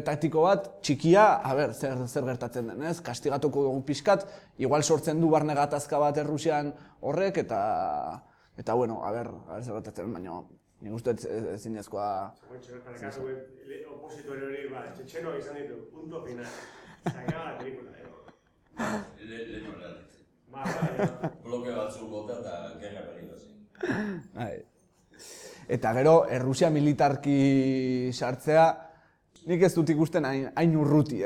taktiko bat, txikia, zer gertatzen den, ez? Kastigatuko dugu pixkat, igual sortzen du barne gatazka bat Errusian horrek, eta bueno, zer gertatzen den, baina nik uste ezinezkoa... Para opositore hori, txetxenoak izan ditu, punto final. Sakaba la pelikula, Leheno errealitzen. Bloke batzuk bota eta gerra berriro zen. Eta gero, Errusia militarki sartzea, nik ez dut ikusten hain urruti,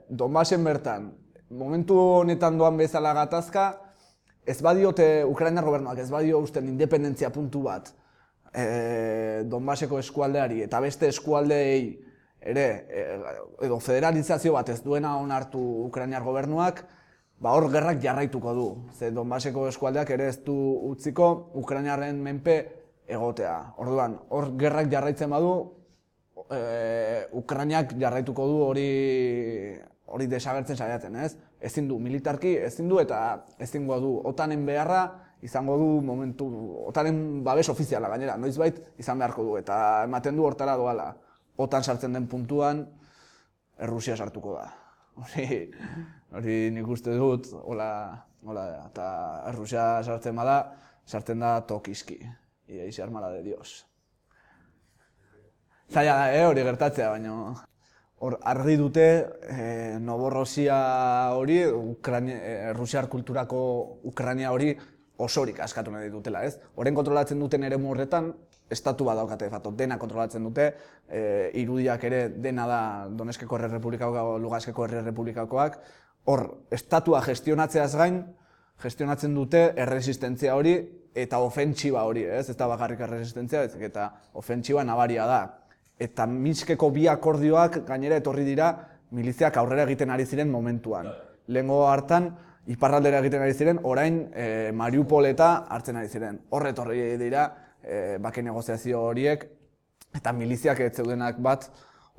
Donbasen bertan, momentu honetan doan bezala gatazka, ez badiote, Ukrainar gobernuak ez badio usten independentzia puntu bat, Donbaseko eskualdeari eta beste eskualdeei ere, edo federalizazio bat ez duena onartu Ukrainar gobernuak, hor gerrak jarraituko du. Ze Donbaseko eskualdeak ere ez du utziko Ukrainarren menpe egotea. Orduan, hor gerrak jarraitzen badu, Ukrainak jarraituko du hori desagertzen saiatzen, ez? Ezin du militarki, ezin du eta ezingo du OTANen beharra, izango du momentu, OTANen babes ofiziala gainera, noizbait izan beharko du eta ematen du hortara doala. OTAN sartzen den puntuan, Errusia sartuko da. Hori nik uste dut, eta Errusia sartzen da tokiski. Y ahí se arma la de Dios. Zaila da, hori gertatzea, baina hor argi dute Novorossia hori, Errusiar kulturako Ukraina hori osorik askatu nahi dutela, ez? Horren kontrolatzen duten eremu horretan, estatu bat daukate, dena kontrolatzen dute, irudiak ere dena da Donetskeko Errepublikakoak, Luganskeko Errepublikakoak, hor, estatua gestionatzeaz gain, gestionatzen dute erresistentzia hori eta ofentsiba hori, ez? Ez da bakarrik erresistentzia, eta ofentsiba nabaria da. Eta Minskeko bi akordioak gainera etorri dira miliziak aurrera egiten ari ziren momentuan. Lehengo hartan, iparraldera egiten ari ziren, orain Mariupoleta hartzen ari ziren. Horre etorri dira bake negoziazio horiek eta miliziak ez zeudenak bat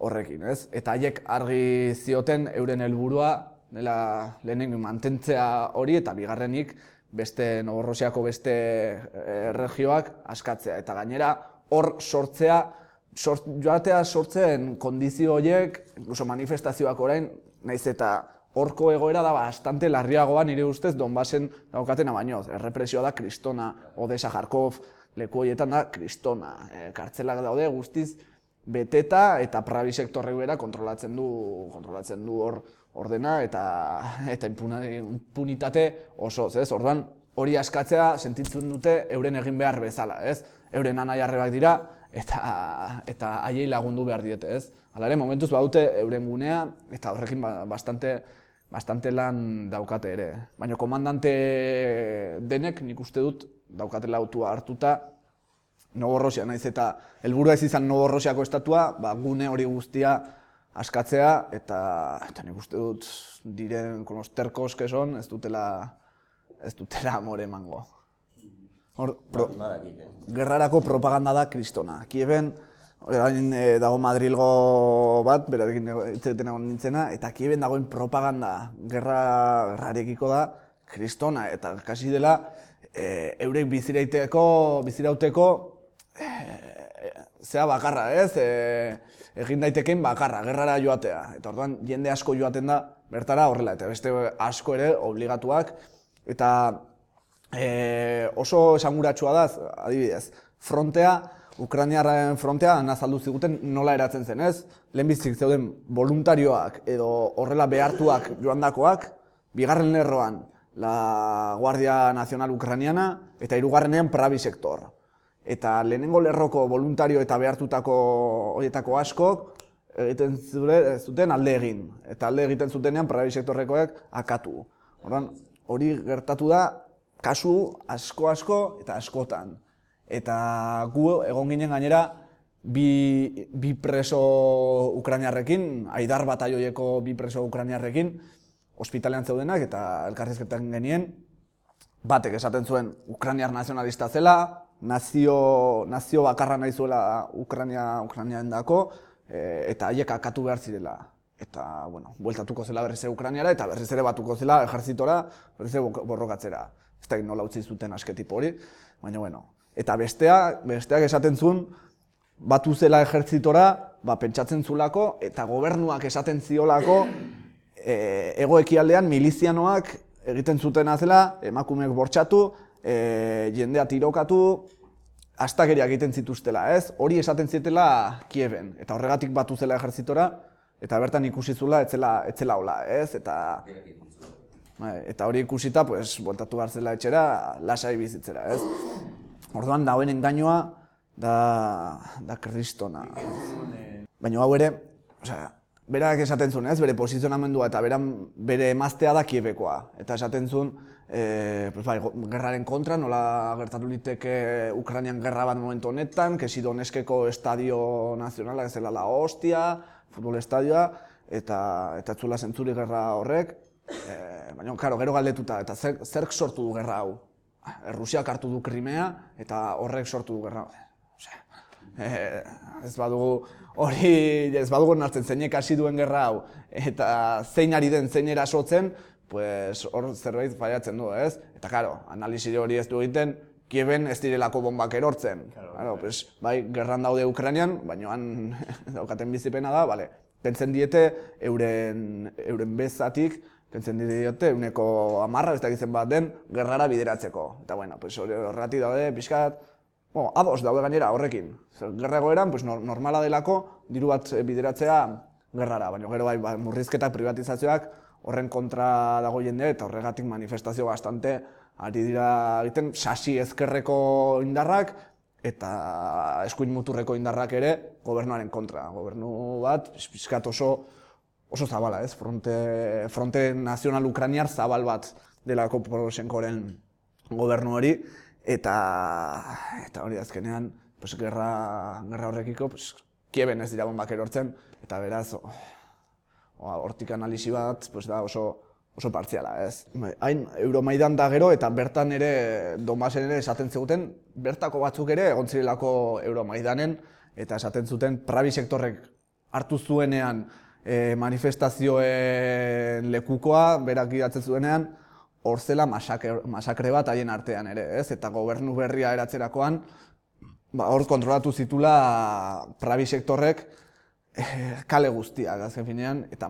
horrekin, ez? Eta haiek argi zioten euren helburua dela lehenengo mantentzea hori eta bigarrenik beste Novorosiako beste erregioak askatzea. Eta gainera hor joatea sortzen kondizio horiek, incluso manifestazioak orain, naiz eta horko egoera da bastante larriagoa nire ustez Donbasen daukatena baino. Errepresioa da kristona, Odessa, Kharkov, leku horietan da kristona. Kartzelak daude guztiz beteta eta Pravi sektorrek bera kontrolatzen du hor ordena eta impunitate osoz, ez? Orduan hori askatzea sentitzen dute euren egin behar bezala, ez? Euren anai-arrebak dira eta haiei lagundu behar diete, ez? Hala ere, momentuz badute euren gunea eta horrekin bastante lan daukate ere. Baina komandante denek nik uste dut daukatela autua hartuta Novorossia, naiz eta helburua ez izan Novorosiako estatua, gune hori guztia askatzea eta nik uste dut diren con los tercos que son ez dutela amore emango. Gerrarako propaganda da kristona. Kieven dago Madrilgo bat, berarekin hitz egon nintzena, eta Kieven dagoen propaganda gerrarekiko da kristona, eta kasi dela eurek bizirauteko zea bakarra, ez? Egin daitekeen bakarra, gerrara joatea. Eta orduan jende asko joaten da bertara horrela, eta beste asko ere obligatuak. Eta oso esanguratsua da, adibidez, Ukrainiarren frontea azaldu ziguten nola eratzen zen, ez? Lehenbizik zeuden voluntarioak edo horrela behartuak joandakoak, bigarren lerroan la Guardia Nacional Ucraniana eta hirugarrenean Pravi sektor. Eta lehenengo lerroko voluntario eta behartutako horietako askok egiten zuten alde egin. Eta alde egiten zutenean Pravi sektorrekoek akatu. Hori gertatu da kasu asko eta askotan. Eta gu egon ginen gainera bi preso ukrainiarrekin, Aidar bataioieko bi preso ukrainiarrekin, ospitalean zeudenak eta elkarrizketan genien, batek esaten zuen ukrainiar nazionalista zela, nazio bakarra nahi zuela Ukrainiaendako, eta haiek akatu behar zirela. Eta, bueltatuko zela berriz Ukrainiara eta berriz ere batuko zela ejertzitora, berriz borrokatzera. Ez da nola utzi zuten asketipo hori, baina, Eta besteak esaten zuen, batu zela ejertzitora, pentsatzen zulako, eta gobernuak esaten ziolako, hego-ekialdean milizianoak egiten zutena zela, emakumeek bortxatu, jendea tirokatu, astakeria egiten zituztela, ez? Hori esaten zietela Kieben, eta horregatik batu zela ejertzitora, eta bertan ikusi zula etzela hola, ez? Eta hori ikusita, bueltatu behar zela etxera, lasai bizitzera, ez? Orduan, dauen engainoa da kristona. Baina hau ere, berak esaten zuen, ez? Bere posizionamendua eta bere emaztea da Kiebekoa. Eta esaten zuen, gerraren kontra, nola gertatu liteke Ukrainian gerra bat momentu honetan, Kesi Donetskeko estadio nazionala, ez zela la hostia, futbol estadioa, eta etzula zentzuri gerra horrek. Baina, gero galdetuta, eta zerk sortu du gerra hau? Rusiak hartu du Krimea, eta horrek sortu du gerra hau. Ez badugu nartzen zeinek hasi duen gerra hau, eta zein ari den, zein erasotzen, hor zerbait faiatzen du, ez? Eta, analizi hori ez du egiten, Kieben ez direlako bombak erortzen. Bai, gerran daude Ukrainian, baina han daukaten bizipena da, pentsen diete euren bezatik, pentsen diote, 10% ez dakitzen bat den, gerrara bideratzeko. Eta, horregatik daude, pixkat, ados daude gainera horrekin. Gerra egoeran, normala delako, diru bat bideratzea gerrara, baina gero bai, murrizketak, privatizazioak, horren kontra dago jende, eta horregatik manifestazio bastante ari dira egiten, sasi ezkerreko indarrak, eta eskuin muturreko indarrak ere, gobernuaren kontra. Gobernu bat, pixkat oso zabala, ez? Fronte nazional ukrainiar zabal bat delako Poroshenkoren gobernu hori, eta hori azkenean, gerra horrekiko, Kieben ez dira bombak erortzen, eta beraz, hortik analisi bat da oso partziala, ez? Hain Euromaidan da gero, eta bertan ere, Donbasen ere esaten ziguten, bertako batzuk ere egon zirelako Euromaidanen, eta esaten zuten Pravi sektorrek hartu zuenean manifestazioen lekukoa, berak idatzen zuenean, hor zela masakre bat haien artean ere, ez? Eta gobernu berria eratzerakoan, hor kontrolatu zitula Pravi sektorrek kale guztiak, azken finean, eta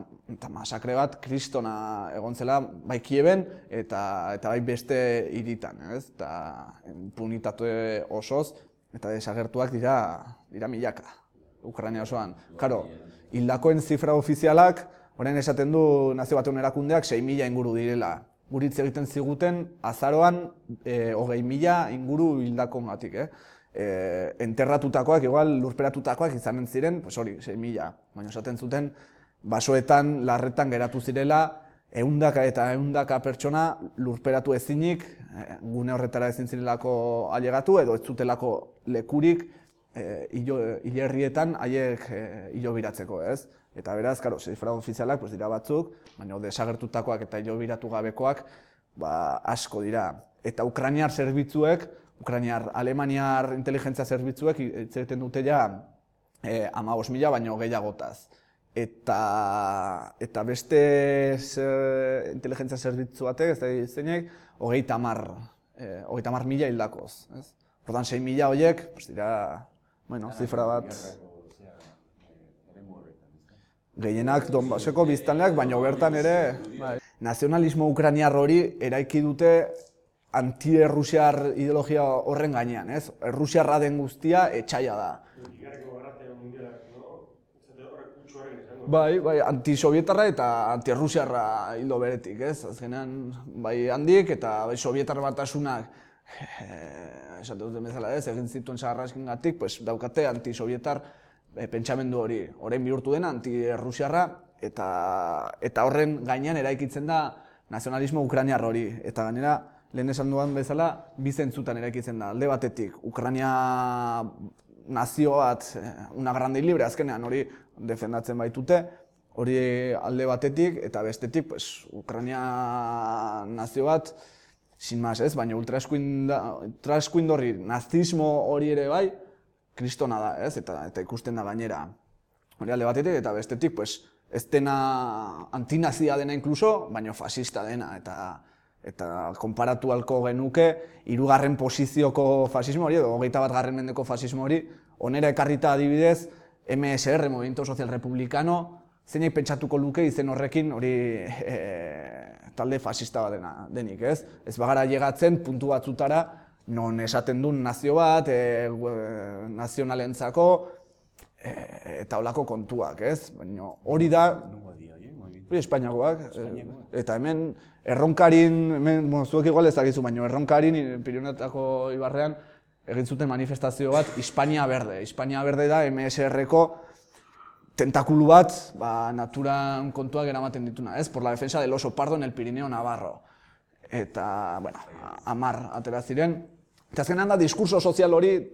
masakre bat kristona egon zela, bai Kieben eta bai beste hiritan, ez? Eta impunitate osoz, eta desagertuak dira milaka, Ukraina osoan. Karo, hildakoen zifra ofizialak, orain esaten du Nazio Batuen Erakundeak 6.000 inguru direla. Guritz egiten ziguten azaroan 20.000 inguru hildakoengatik, enterratutakoak, igual lurperatutakoak izanen ziren, hori, 6.000. Baina esaten zuten, basoetan, larretan geratu zirela, ehundaka pertsona lurperatu ezinik, gune horretara ezin zirelako ailegatu, edo ez zutelako lekurik hilerrietan haiek hilobiratzeko, ez? Eta beraz, zifra ofizialak dira batzuk, baina desagertutakoak eta hilobiratu gabekoak asko dira. Eta Ukrainiar zerbitzuek, Alemaniar inteligentzia zerbitzuek egiten dute ja 15.000 baino gehiagotaz. Eta beste inteligentzia zerbitzu batek, ez da zeinek, 30.000 hildakoz. Ordan 6.000 horiek, dira, zifra bat. Gehienak Donbaseko biztanleak, baina bertan ere nazionalismo ukrainiar hori eraiki dute anti-errusiar ideologia horren gainean, ez? Errusiarra den guztia etxaila da. Bai, anti-sovietarra eta anti-errusiarra hildo beretik, ez? Azkenean, bai handik eta bai sovietar batasunak, esate duten bezala ez, egin zituen zaharraskengatik, daukate anti-sovietar pentsamendu hori. Orain bihurtu dena anti-errusiarra eta horren gainean eraikitzen da nazionalismo ukrainiar hori. Eta gainera, lehen esan duan bezala, bi zentzutan eraikitzen da. Alde batetik, Ukraina nazio bat, una grande y libre, azkenean hori defendatzen baitute, hori alde batetik, eta bestetik, Ukraina nazio bat, sin más ez, baina ultraeskuindorri nazismo hori ere bai, kristona da, ez, eta ikusten da gainera. Hori alde batetik, eta bestetik, ez dena antinazia dena inkluso, baina fascista dena, Eta konparatu halko genuke, 3. posizioko fasismo hori, edo 21. mendeko fasismo hori, onera ekarrita adibidez, MSR, Movimiento Social Republicano, zeinek pentsatuko luke izen horrekin hori talde fasista bat denik, ez? Ez bagara llegatzen puntu batzutara, non esaten duen nazio bat, nazionalentzako, eta holako kontuak, ez? Baina hori da, hori Espainiakoak, eta hemen Erronkarin, zuek igual ezagizu, baina Erronkarin, Pirinioetako ibarrean, egin zuten manifestazio bat, Hispania Berde. Hispania Berde da MSR-ko tentakulu bat, naturan kontuak eramaten dituna, ez? Por la defensa del oso pardo en el Pirineo Navarro. Eta, bueno, 10 atera ziren. Eta azkenean da diskurso sozial hori,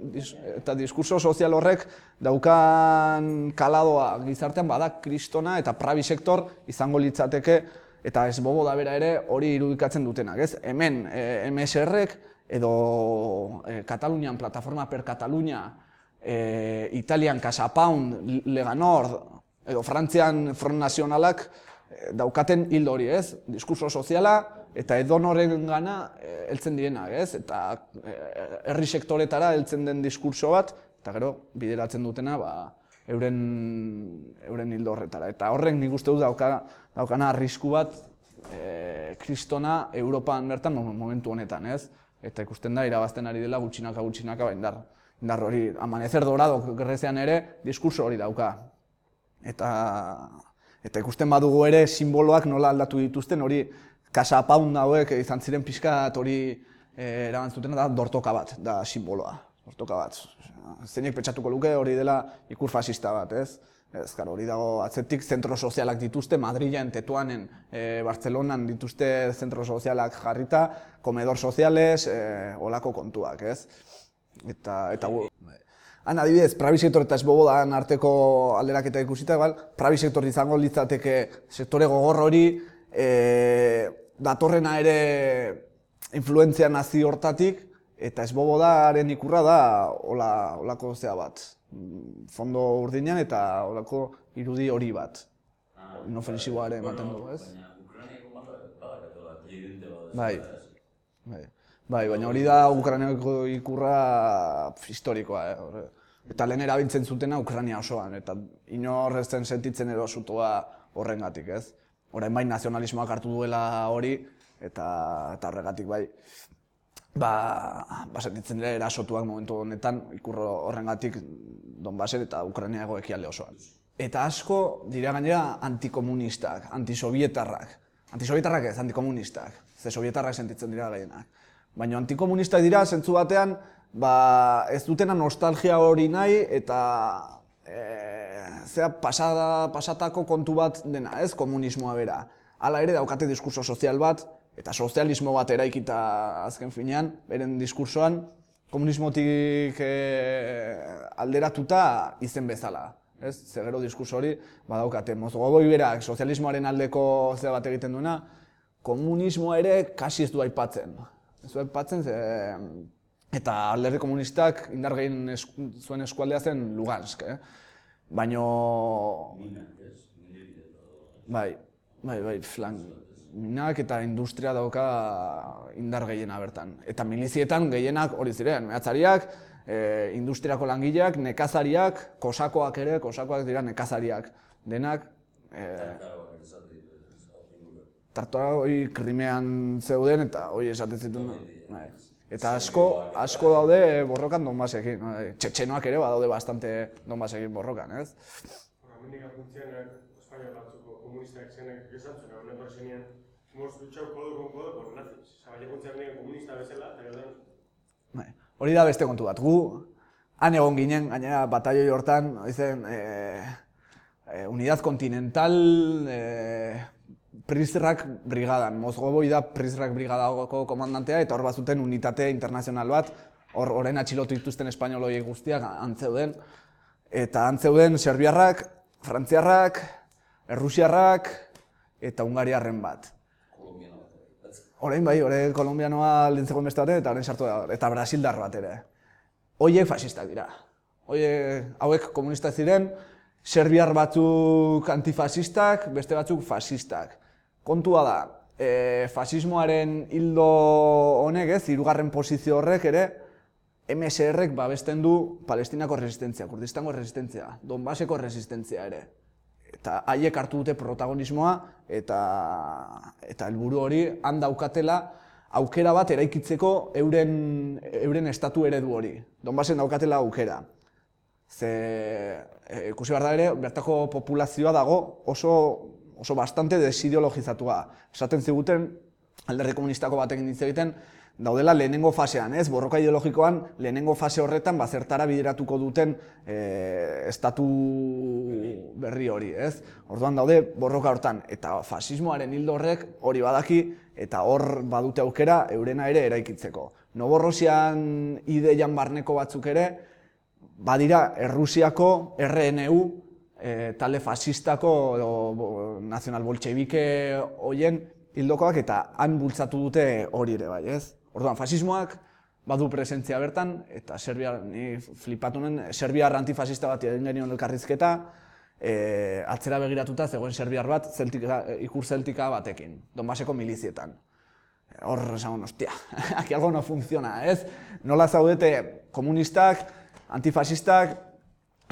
eta diskurso sozial horrek daukan kaladoa gizartean bada kristona eta prabi sektor izango litzateke, eta ez bobo da bera ere hori irudikatzen dutenak, ez? Hemen MSR-ek edo Katalunian, Plataforma per Catalunya, Italian Casa Pound, Lega Nord, edo Frantzian Front Nazionalak daukaten hildo hori, ez? Diskurso soziala eta edonoren gana heltzen direnak, ez? Eta herri sektoretara heltzen den diskurso bat, eta gero bideratzen dutena euren hildo horretara. Eta horrek nik uste dut daukana arrisku bat kristona Europan bertan momentu honetan, ez? Eta ikusten da, irabazten ari dela gutxinaka indar hori, Amanecer Dorado Grezian ere diskurso hori dauka. Eta ikusten badugu ere simboloak nola aldatu dituzten, hori Casa Pound hauek izan ziren pixkat hori erabantzutena da dortoka bat, da simboloa. Dortoka bat. Zeinek pentsatuko luke hori dela ikur fasista bat, ez? Ez, hori dago atzetik zentro sozialak dituzte, Madrilen, Tetuanen, Bartzelonan dituzte zentro sozialak jarrita, komedor soziales, olako kontuak, ez? Eta han adibidez, prabi sektor eta esbobodan arteko alderaketa ikusita, prabi sektor izango litzateke sektore gogor hori, datorrena ere influentzia nazi hortatik, eta esbobodaren ikurra da olako zea bat. Fondo urdinean eta olako irudi hori bat. Inofensiboare ematen du, ez? Baina Ukrainiako badakatela presidente bat. Bai, baina hori da Ukrainiako ikurra historikoa. Eta lehen erabiltzen zutena Ukraina osoan, eta inor ez zen sentitzen edo sutoa horrengatik, ez? Orain bai nazionalismoak hartu duela hori, eta horregatik bai, sentitzen dira erasotuak momentu honetan ikurro horrengatik Donbasen eta Ukrainiako ekialde osoan. Eta asko dira gainera antikomunistak, antisovietarrak. Antisovietarrak ez, antikomunistak. Ze sovietarrak sentitzen dira gehienak. Baina antikomunistak dira, zentzu batean, ez dutena nostalgia hori nahi eta pasatako kontu bat dena, ez, komunismoa bera. Hala ere daukate diskurso sozial bat, eta sozialismo bat eraikita azken finean, beren diskursoan, komunismotik alderatuta izen bezala. Ze gero diskurso hori badaukate. Mozgoboi berak sozialismoaren aldeko zera bat egiten duena, komunismoa ere kasi ez du aipatzen. Ez du aipatzen, eta alderdi komunistak indar gehien zuen eskualdea zen Lugansk. Baina... Bai, minak eta industria dauka indar gehiena bertan. Eta milizietan gehienak hori ziren, mehatzariak, industriako langileak, nekazariak, kosakoak ere, kosakoak dira nekazariak. Denak... Tartora hori Krimean zeuden eta hori esaten zituen. Eta asko daude borrokan Donbasekin. Txetxenoak ere badaude bastante Donbasekin borrokan, ez? Hemendik apuntzean, Espainia batzuko komunistak zenek esatzen, honen berzenean, hemos luchado codo con codo con nazis. Zabaiakuntzean komunista bezala, eta gero hori da beste kontu bat. Gu, han egon ginen, gainera batalloi hortan, Unidad Continental Prizrak brigadan. Mozgoboi da Prizrak brigadako komandantea, eta hor bazuten unitate internazional bat, orain atxilotu dituzten espainoloi guztiak antzeuden. Eta antzeuden serbiarrak, frantziarrak, errusiarrak eta hungariarren bat. Orain bai, orain kolombianoa lintzegoen beste batean eta orain sartu da, eta brasildar bat ere. Hoiek fasistak dira. Hauek komunistak ziren, serbiar batzuk antifasistak, beste batzuk fasistak. Kontua da, fasismoaren hildo honek, ez, 3. posizio horrek ere, MSR-ek babesten du Palestinako resistentzia, Kurdistango resistentzia, Donbaseko resistentzia ere. Eta haiek hartu dute protagonismoa eta helburu hori han daukatela aukera bat eraikitzeko euren estatu eredu hori. Donbasen daukatela aukera. Ze ikusi behar da ere, bertako populazioa dago oso bastante desideologizatua. Esaten ziguten, Alderdi Komunistako batekin hitz egiten, daudela lehenengo fasean, ez? Borroka ideologikoan lehenengo fase horretan zertara bideratuko duten estatu berri hori, ez? Orduan daude borroka hortan, eta fasismoaren hildo horrek hori badaki eta hor badute aukera eurena ere eraikitzeko. Novorosian ideian barneko batzuk ere, badira Errusiako RNU, talde fasistako nazional-boltxebike hoien hildokoak eta han bultzatu dute hori ere bai, ez? Orduan, fasismoak badu presentzia bertan, eta ni flipatu nuen, serbiar antifasista bat egin genion elkarrizketa, atzera begiratuta zegoen serbiar bat ikur zeltika batekin, Donbaseko milizietan. Hor, esan, hostia, aquí algo no funciona, ez? Nola zaudete komunistak, antifasistak,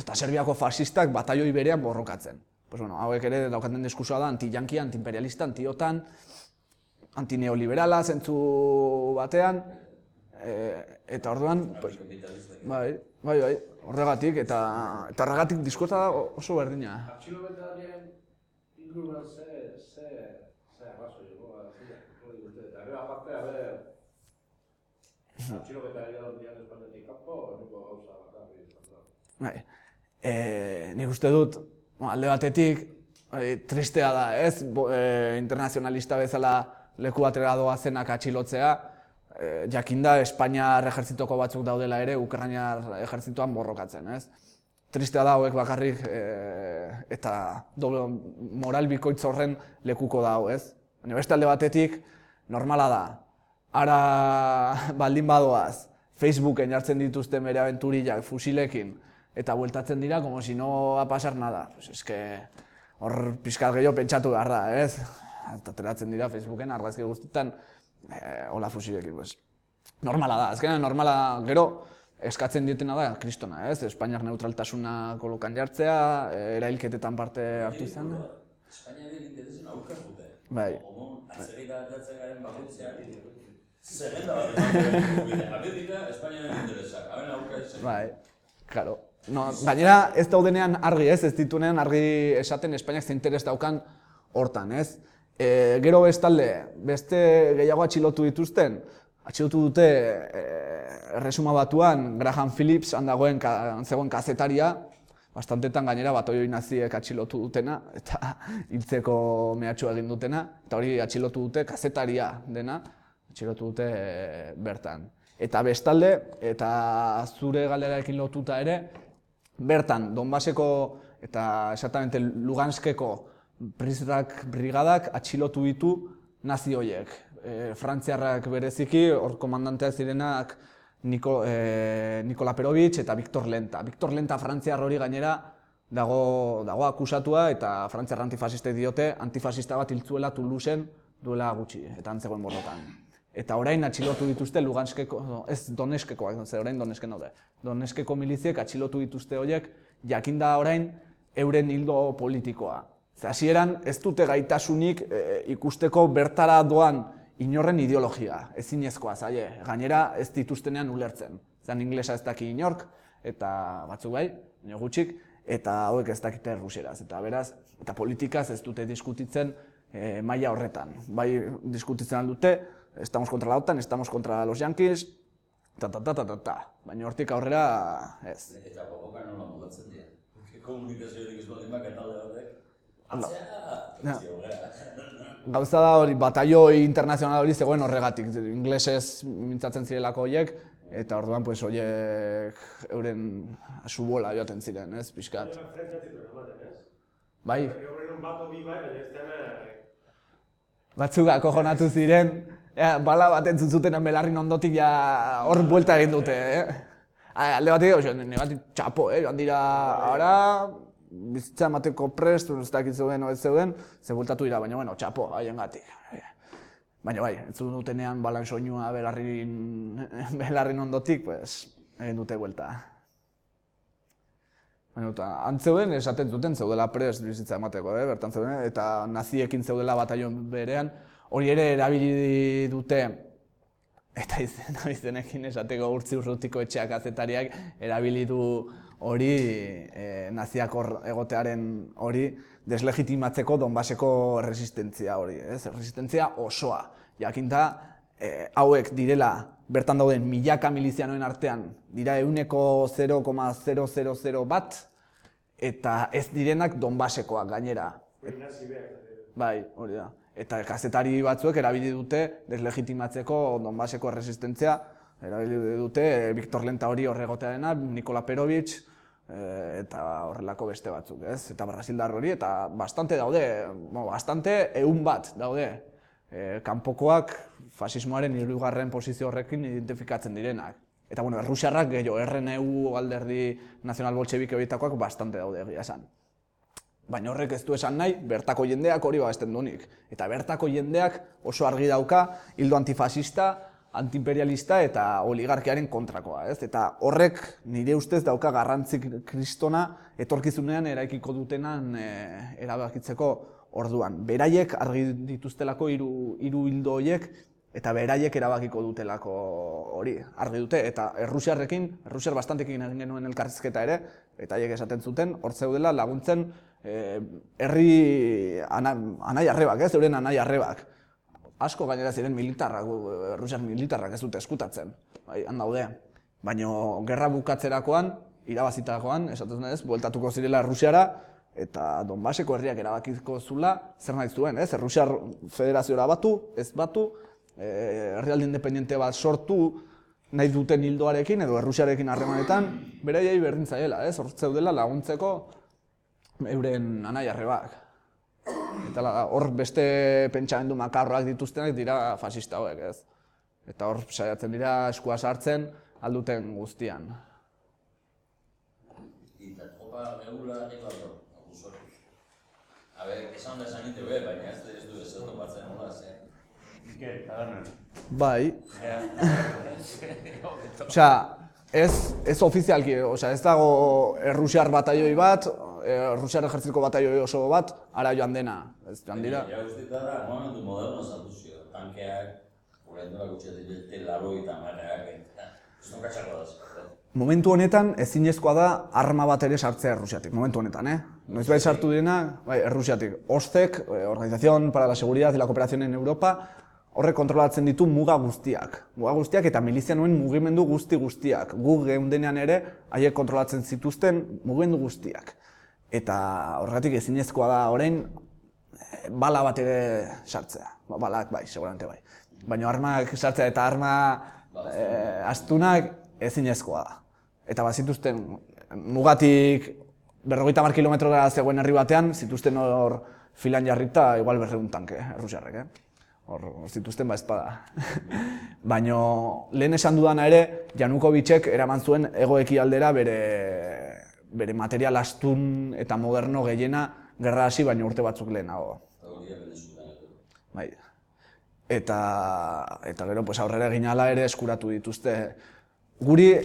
eta serbiako fasistak bataioi berean borrokatzen. Pues bueno, hauek ere daukaten diskursoa da anti-jankia, anti-imperialista, anti-otan, antineoliberala zentzu batean, eta orduan, bai, horregatik, eta horregatik diskursa da oso berdina. Atxiloketarien inguruan ze arrazoi dugu, eta gero aparte, atxiloketarien dian espanetik kanpo, nuko gauza bakarri. Bai, nik uste dut, alde batetik, tristea da, ez? Internazionalista bezala leku batera doazenak atxilotzea, jakinda Espainiar ejertzitoko batzuk daudela ere Ukrainar ejertzitoan borrokatzen, ez? Tristea da hauek bakarrik eta moral bikoitz horren lekuko dago, ez? Baina beste alde batetik, normala da. Ara baldin badoaz, Facebooken jartzen dituzten bere abenturillak fusilekin, eta bueltatzen dira, como si no va a pasar nada. Pues es que hor pixkat gehiago pentsatu behar da, ez? Eta ateratzen dira Facebooken argazki guztietan hola fusilekin, pues. Normala da, azkenean normala gero eskatzen dietena da kristona, ez? Espainiar neutraltasuna kolokan jartzea, erailketetan parte hartu izan. Espainiaren interesen aurka zute. Bai. Atzerrika atatzen garen bakoitzean, zerrenda bat ematen Amerika, Espainiaren interesak, haben aurka izan. Bai, claro. No, gainera ez daudenean argi, ez ditunean argi esaten Espainiak ze interes daukan hortan, ez? Gero bestalde, beste gehiago atxilotu dituzten, atxilotu dute Erresuma Batuan Graham Phillips zegoen kazetaria, bastantetan gainera batoi naziek atxilotu dutena eta hiltzeko mehatxua egin dutena, eta hori atxilotu dute kazetaria dena, atxilotu dute bertan. Eta bestalde, eta zure galderarekin lotuta ere, bertan Donbaseko eta exactamente Luganskeko brigadak atxilotu ditu nazi horiek. Frantziarrak bereziki, hor komandanteak zirenak Nikola Perovitch eta Viktor Lenta. Viktor Lenta frantziar hori gainera dago akusatua eta frantziar antifasistek diote antifasista bat hiltzuela Toulouseen duela gutxi, eta antzegoen borrokan. Eta orain atxilotu dituzte Luganskeko, ez Donetskekoak, orain Donetsken daude. Donetskeko miliziek atxilotu dituzte horiek, jakinda orain euren hildo politikoa. Hasieran ez dute gaitasunik ikusteko bertara doan inorren ideologia, ezinezkoa zaie. Gainera ez dituztenean ulertzen. Zan inglesa ez daki inork, eta batzuk bai, baina gutxik, eta hauek ez dakite errusieraz. Eta beraz, eta politikaz ez dute diskutitzen maila horretan. Bai diskutitzen aldute, estamos contra la OTAN, estamos contra los yanquis, baina hortik aurrera ez. Eta borroka nola mugatzen dira. Komunikazioetik ez baldin baka talde batek. Gauza da hori, bataioi internazional hori zegoen horregatik, inglesez mintzatzen zirelako horiek, eta orduan pues horiek euren subola joaten ziren, ez, pixkat. Bai. Batzuk akojonatu ziren, bala bat entzun zuten belarrin ondotik hor buelta egin dute, alde batik, negatik txapo, joan dira, ara, bizitza emateko prest, ez dakit zeuden o ez zeuden, ze bueltatu dira, baina, bueno, txapo, haien gatik. Baina bai, entzun dutenean balan soinua belarrin ondotik, pues, egin dute buelta. Baina, antzeuden esaten zuten zeudela prest bizitza emateko, bertan zeuden, eta naziekin zeudela bataion berean, hori ere erabili dute, eta izenekin esateko Urtzi Urrutiko etxeak kazetariak erabili du hori naziak hor egotearen hori deslegitimatzeko Donbaseko resistentzia hori, resistentzia osoa. Jakinta, hauek direla bertan dauden milaka milizianoen artean dira 0,000 bat, eta ez direnak Donbasekoak gainera. Bai, hori da. Eta kazetari batzuek erabili dute deslegitimatzeko Donbaseko resistentzia, erabili dute Viktor Lenta hori horregotearena, Nikola Perovic, eta horrelako beste batzuk, ez? Eta Brasildar hori, eta bastante daude, bastante 100 bat daude. Kanpokoak fasismoaren 3. posizio horrekin identifikatzen direnak. Eta bueno, errusiarrak gehiago, RNU alderdi nazional boltxebike horietakoak bastante daude egia esan. Baina horrek ez du esan nahi, bertako jendeak hori babesten duenik. Eta bertako jendeak oso argi dauka, hildo antifasista, antiimperialista eta oligarkiaren kontrakoa, ez? Eta horrek nire ustez dauka garrantzik kristona etorkizunean eraikiko dutenan erabakitzeko orduan. Beraiek argi dituztelako hiru hildo horiek eta beraiek erabakiko dutelako hori, argi dute. Eta Errusiar bastantekin egin genuen elkarrizketa ere, eta haiek esaten zuten, hor zeudela laguntzen herri anai-arrebak, euren anai-arrebak. Asko gainera ziren militarrak, Errusiar militarrak ez dute eskutatzen, bai, han daude. Baina gerra bukatzerakoan, irabazitakoan, esaten ez, bueltatuko zirela Errusiara, eta Donbaseko herriak erabakiko zula, zer nahi zuen, ez? Errusiar federazioa batu, ez batu, herrialde independiente bat sortu nahi duten hildoarekin edo Errusiarekin harremanetan, beraiei berdin zaiela, ez? Hor zeudela laguntzeko euren anai-arrebak. Eta hor beste pentsamendu makarroak dituztenak dira fasista hauek, ez? Eta hor saiatzen dira eskua sartzen alduten guztian. Eta tropa begula eko aldo, abuzortu. Esan da esan ite baina ez du ez topatzen hola, ze? Bai. Osea, ez ofizialki, ez dago Errusiar bataioi bat, Errusiar ejertzitiko bataioi oso bat, ara joan dena, ez joan dira. Ja guztita da, momentu moderno zatuzio, tankeak, horreindura gutxetik T-80 marreak, ez non katxako da. Momentu honetan ezinezkoa da arma bat ere sartzea Errusiatik, momentu honetan, Noizbait sartu direna, bai, Errusiatik. OSCEk, Organización para la Seguridad y la Cooperación en Europa, horrek kontrolatzen ditu muga guztiak. Muga guztiak eta milizianoen mugimendu guztiak. Gu geundenean ere, haiek kontrolatzen zituzten mugimendu guztiak. Eta horregatik ezinezkoa da orain bala bat ere sartzea. Balak bai, seguramente bai. Baina armak sartzea eta arma astunak ezinezkoa da. Eta bazituzten mugatik 50 kilometrora zegoen herri batean, zituzten hor filan jarrita igual 200 tanke, Errusiarrek, Hor zituzten espada. Baina lehen esan dudana ere, Janukovicek eraman zuen hego-ekialdera bere material astun eta moderno gehiena gerra hasi baina urte batzuk lehenago. Bai. Eta gero aurrera egin ala ere eskuratu dituzte. Guri,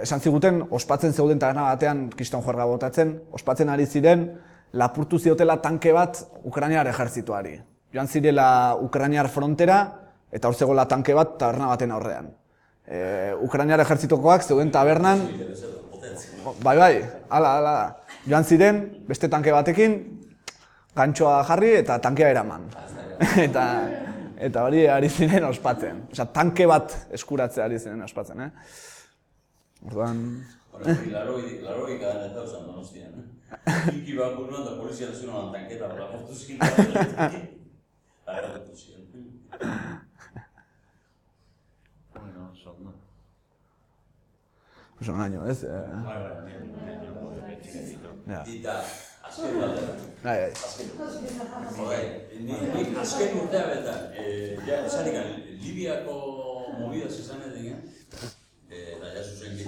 esan ziguten, ospatzen zeuden taberna batean kriston juerga botatzen, ospatzen ari ziren lapurtu ziotela tanke bat Ukrainiar ejertzituari. Joan zirela Ukrainiar frontera eta hor zegoela tanke bat taberna baten aurrean. Ukrainiar ejertzitokoak zeuden tabernan, bai, hala. Joan ziren, beste tanke batekin, gantxoa jarri eta tankea eraman. Eta hori ari ziren ospatzen. Osea, tanke bat eskuratzea ari ziren ospatzen, Orduan... Laroi gadan ez dauzan Donostian, Iki bat buruan da polizia nazional tanketa bat aportu ziren. Agarratu ziren. Bueno, son, Oso naino, ez? Dita, azken bat. Bai. Nik azken urtea betan, esanik Libiako movidas izan edingen, eta ja zuzenki,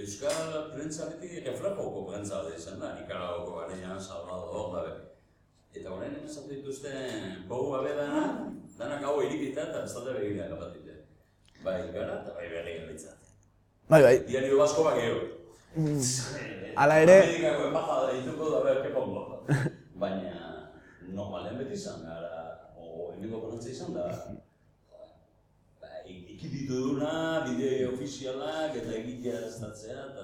Euskal prentza beti reflejoko prentza bat izan da, Nikaragoko garenean, Salvador, Eta horrein esatu dituzten bogu abedana, danak hau irikita eta bestate begirak apatite. Bai gara eta bai begiak behitzat. Bai. Diario Basko bak gero. Hala ere... Amerikako embajada dituko da behar kepongo. Baina, normalen beti izan gara, o eneko konantza izan da, ikipitu duna, bide ofizialak eta egitea estatzea eta...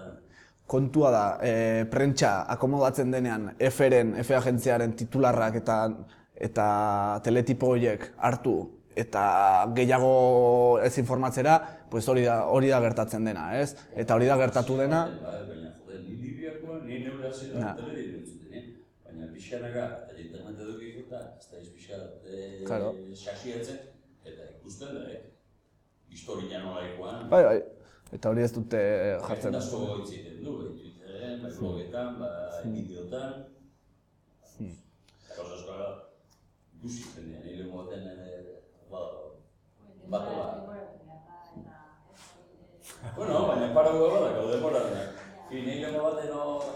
Kontua da, prentsa akomodatzen denean F agentziaren titularrak eta teletipo horiek hartu eta gehiago ez informatzera, pues hori da gertatzen dena, ez? Eta hori da gertatu dena... Baina, jode, ni Libiakoa, ni neure hasieran teledirio entzuten, baina pixkanaka, eta internet edukik eta ez da pixkat xaxietzen, eta ikusten da, historia nolaikoan. Bai, eta hori ez dute jartzen. Asko goitziten du, Twitteren, bai blogetan, bai bideotan. Eta asko ikusi jendean, hile moten batola. Bueno, baina parago da, gaude moradenak. Hile moten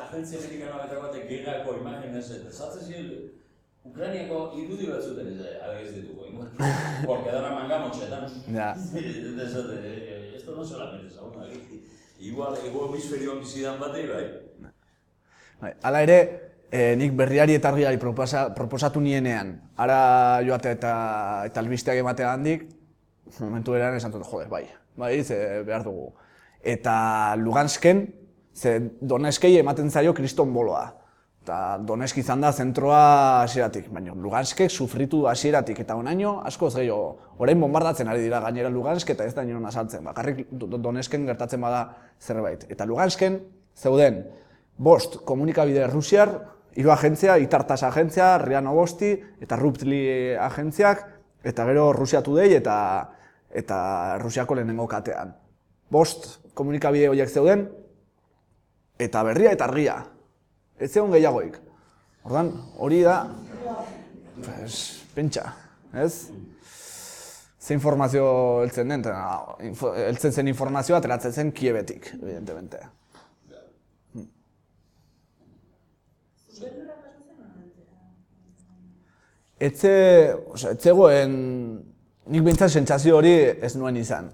agentzia amerikanoa eta batek gerrako imaginez, esatzen ziren, Ukrainiako irudi batzuten ez dituko, porque dan a mangamotxetan. Ja. Esto no solamente es aún aquí. Igual, ego hemisferioan bizidan batei, bai. Hala ere, nik berriari eta argiari proposatu nienean, ara joatea eta albisteak ematea handik, momentu eran esan dut, joder, bai, ze behar dugu. Eta Lugansken, ze Doneskei ematen zaio kriston boloa. Eta Donetsk izan da zentroa hasieratik, baina Luganskek sufritu hasieratik eta onaino askoz gehiago. Orain bombardatzen ari dira gainera Lugansk eta ez da inon asaltzen, bakarrik Donetsken gertatzen bada zerbait. Eta Lugansken zeuden 5 komunikabide Rusiar, 3 agentzia, Itartas agentzia, RIA Novosti eta Ruptli agentziak, eta gero Rusia Today eta Rusiako lehenengo katean. 5 komunikabide horiek zeuden, eta berria eta argia. Ez zegoen gehiagoik. Ordan, hori da, pentsa, ez? Ze informazio heltzen den, heltzen zen informazioa ateratzen zen Kievetik, evidentemente. Ez zegoen, nik behintzat sentsazio hori ez nuen izan.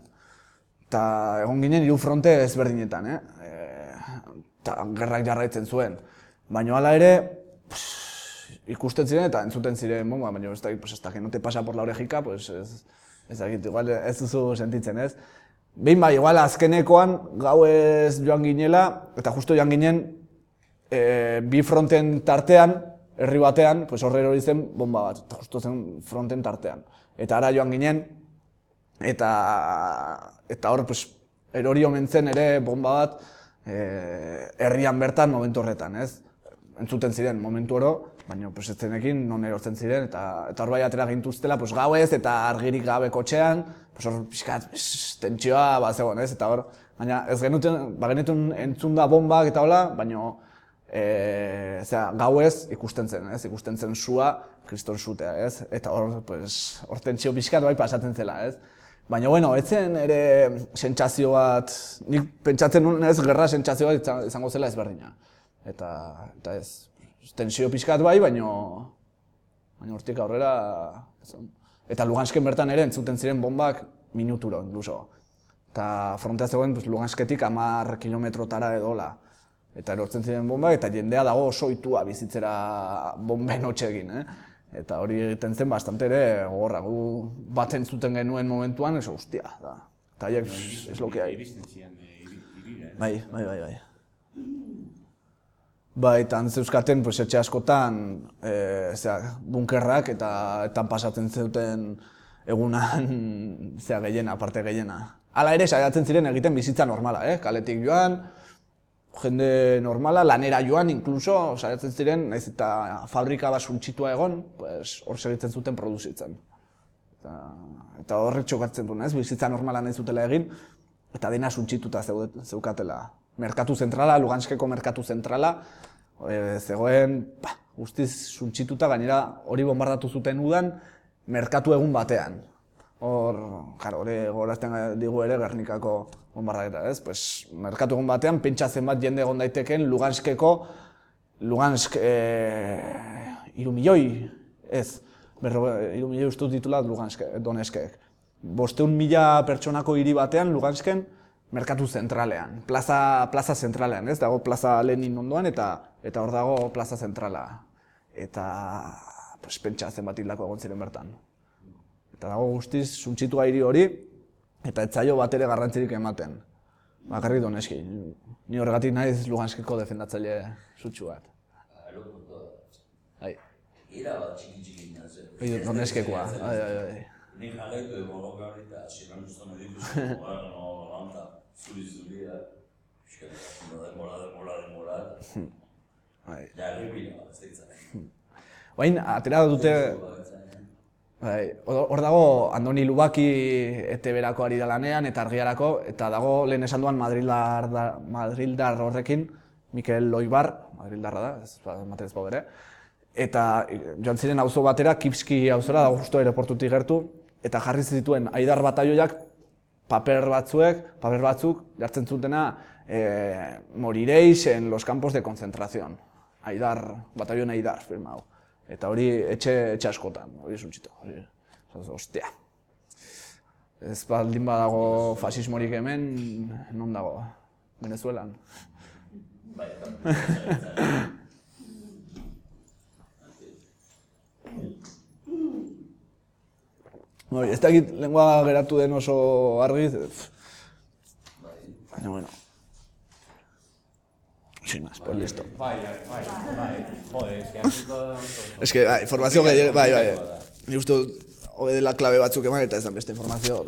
Eta egon ginen 3 fronte ezberdinetan, eta gerrak jarraitzen zuen. Baina hala ere, ikusten ziren eta entzuten ziren bomba, baina ez da, que no te pasa por la orejika, ez dakit, igual ez duzu sentitzen, ez? Behin bai, igual azkenekoan gauez joan ginela, eta justo joan ginen, 2 fronten tartean, herri batean, horre hori zen bomba bat, eta justo zen fronten tartean. Eta ara joan ginen, eta hor, erori omen zen ere bomba bat, herrian bertan momentu horretan, ez? Entzuten ziren momentu oro, baina ez zenekin non erortzen ziren, eta hor bai atera gintuztela gauez eta argirik gabe kotxean, hor pixkat tentsioa bat zegoen, ez? Eta hor, baina ez genituen entzun da bombak eta hola, baina gauez ikusten zen, ez? Ikusten zen sua, kriston sutea, ez? Eta hor tentsio pixkat bai pasatzen zela, ez? Baina, bueno, ez zen ere sentsazio bat, nik pentsatzen nuen ez gerra sentsazio bat izango zela ezberdina. Eta ez, tensio pixkat bai, baina hortik aurrera... Eta Lugansken bertan ere entzuten ziren bombak minuturo, inkluso. Eta frontea zegoen Lugansketik 10 kilometrotara edola. Eta erortzen ziren bombak, eta jendea dago oso ohitua bizitzera bomben hotxegin, Eta hori egiten zen bastante ere gogorra, gu bat entzuten genuen momentuan, eso, hostia, da. Eta haiek, es lo que hay. Bai. Bai, eta zeuzkaten etxe askotan bunkerrak eta pasatzen zuten egunan gehiena, parte gehiena. Hala ere, saiatzen ziren egiten bizitza normala, kaletik joan, jende normala, lanera joan, inkluso, saiatzen ziren, nahiz eta fabrika bat suntxitua egon, hor segitzen zuten produzitzen. Eta horrek txokatzen duen, bizitza normala nahi zutela egin, eta dena suntxituta zeukatela. Merkatu zentrala, Luganskeko merkatu zentrala, zegoen guztiz suntxituta, gainera hori bombardatu zuten udan, merkatu egun batean. Hori gorazten digu ere Gernikako bombardaketa, ez? Merkatu egun batean, pentsa zenbat jende egon daiteken Lugansk 3 milioi, ez? 3.000 uste dut ditula Donetskek. 500.000 pertsonako hiri batean Lugansken merkatu zentralean, plaza zentralean, ez? Dago plaza Lenin ondoan eta hor dago plaza zentrala. Eta pentsa zenbat hildako egon ziren bertan. Eta dago guztiz suntsitua hiri hori eta ez zaio bat ere garrantzirik ematen. Bakarrik Donetski. Ni horregatik naiz Luganskeko defendatzaile sutsu bat. Era bat txiki nazen. Donetskekoa. Ni jarraitu egon gaur eta hasieran uzten dituzu, lanta, zuri-zuria, demora. Ja, errepina bat, ez ditzak. Baina, atera dute... Hor dago Andoni Lubaki ETB-erako ari da lanean eta argiarako, eta dago lehen esan duan madrildar horrekin, Mikel Loibar, madrildarra da, ez ematen ez bau bere, eta joan ziren auzo batera, Kipski auzora, dago justo aeroportutik gertu, eta jarri zituen Aidar batalloiak paper batzuk jartzen zutena moriréis en los campos de concentración. Aidar, batallon Aidar firmau. Eta hori etxe askotan, hori suntsito. Ostia. Ez baldin badago fasismorik hemen, non dago? Venezuelan. Ez dakit lengua geratu den oso argi, baina bueno. Sin más, pues listo. Es que, informazio gehiago, bai. Ni uste hobe dela klabe batzuk eman eta ez da beste informazio.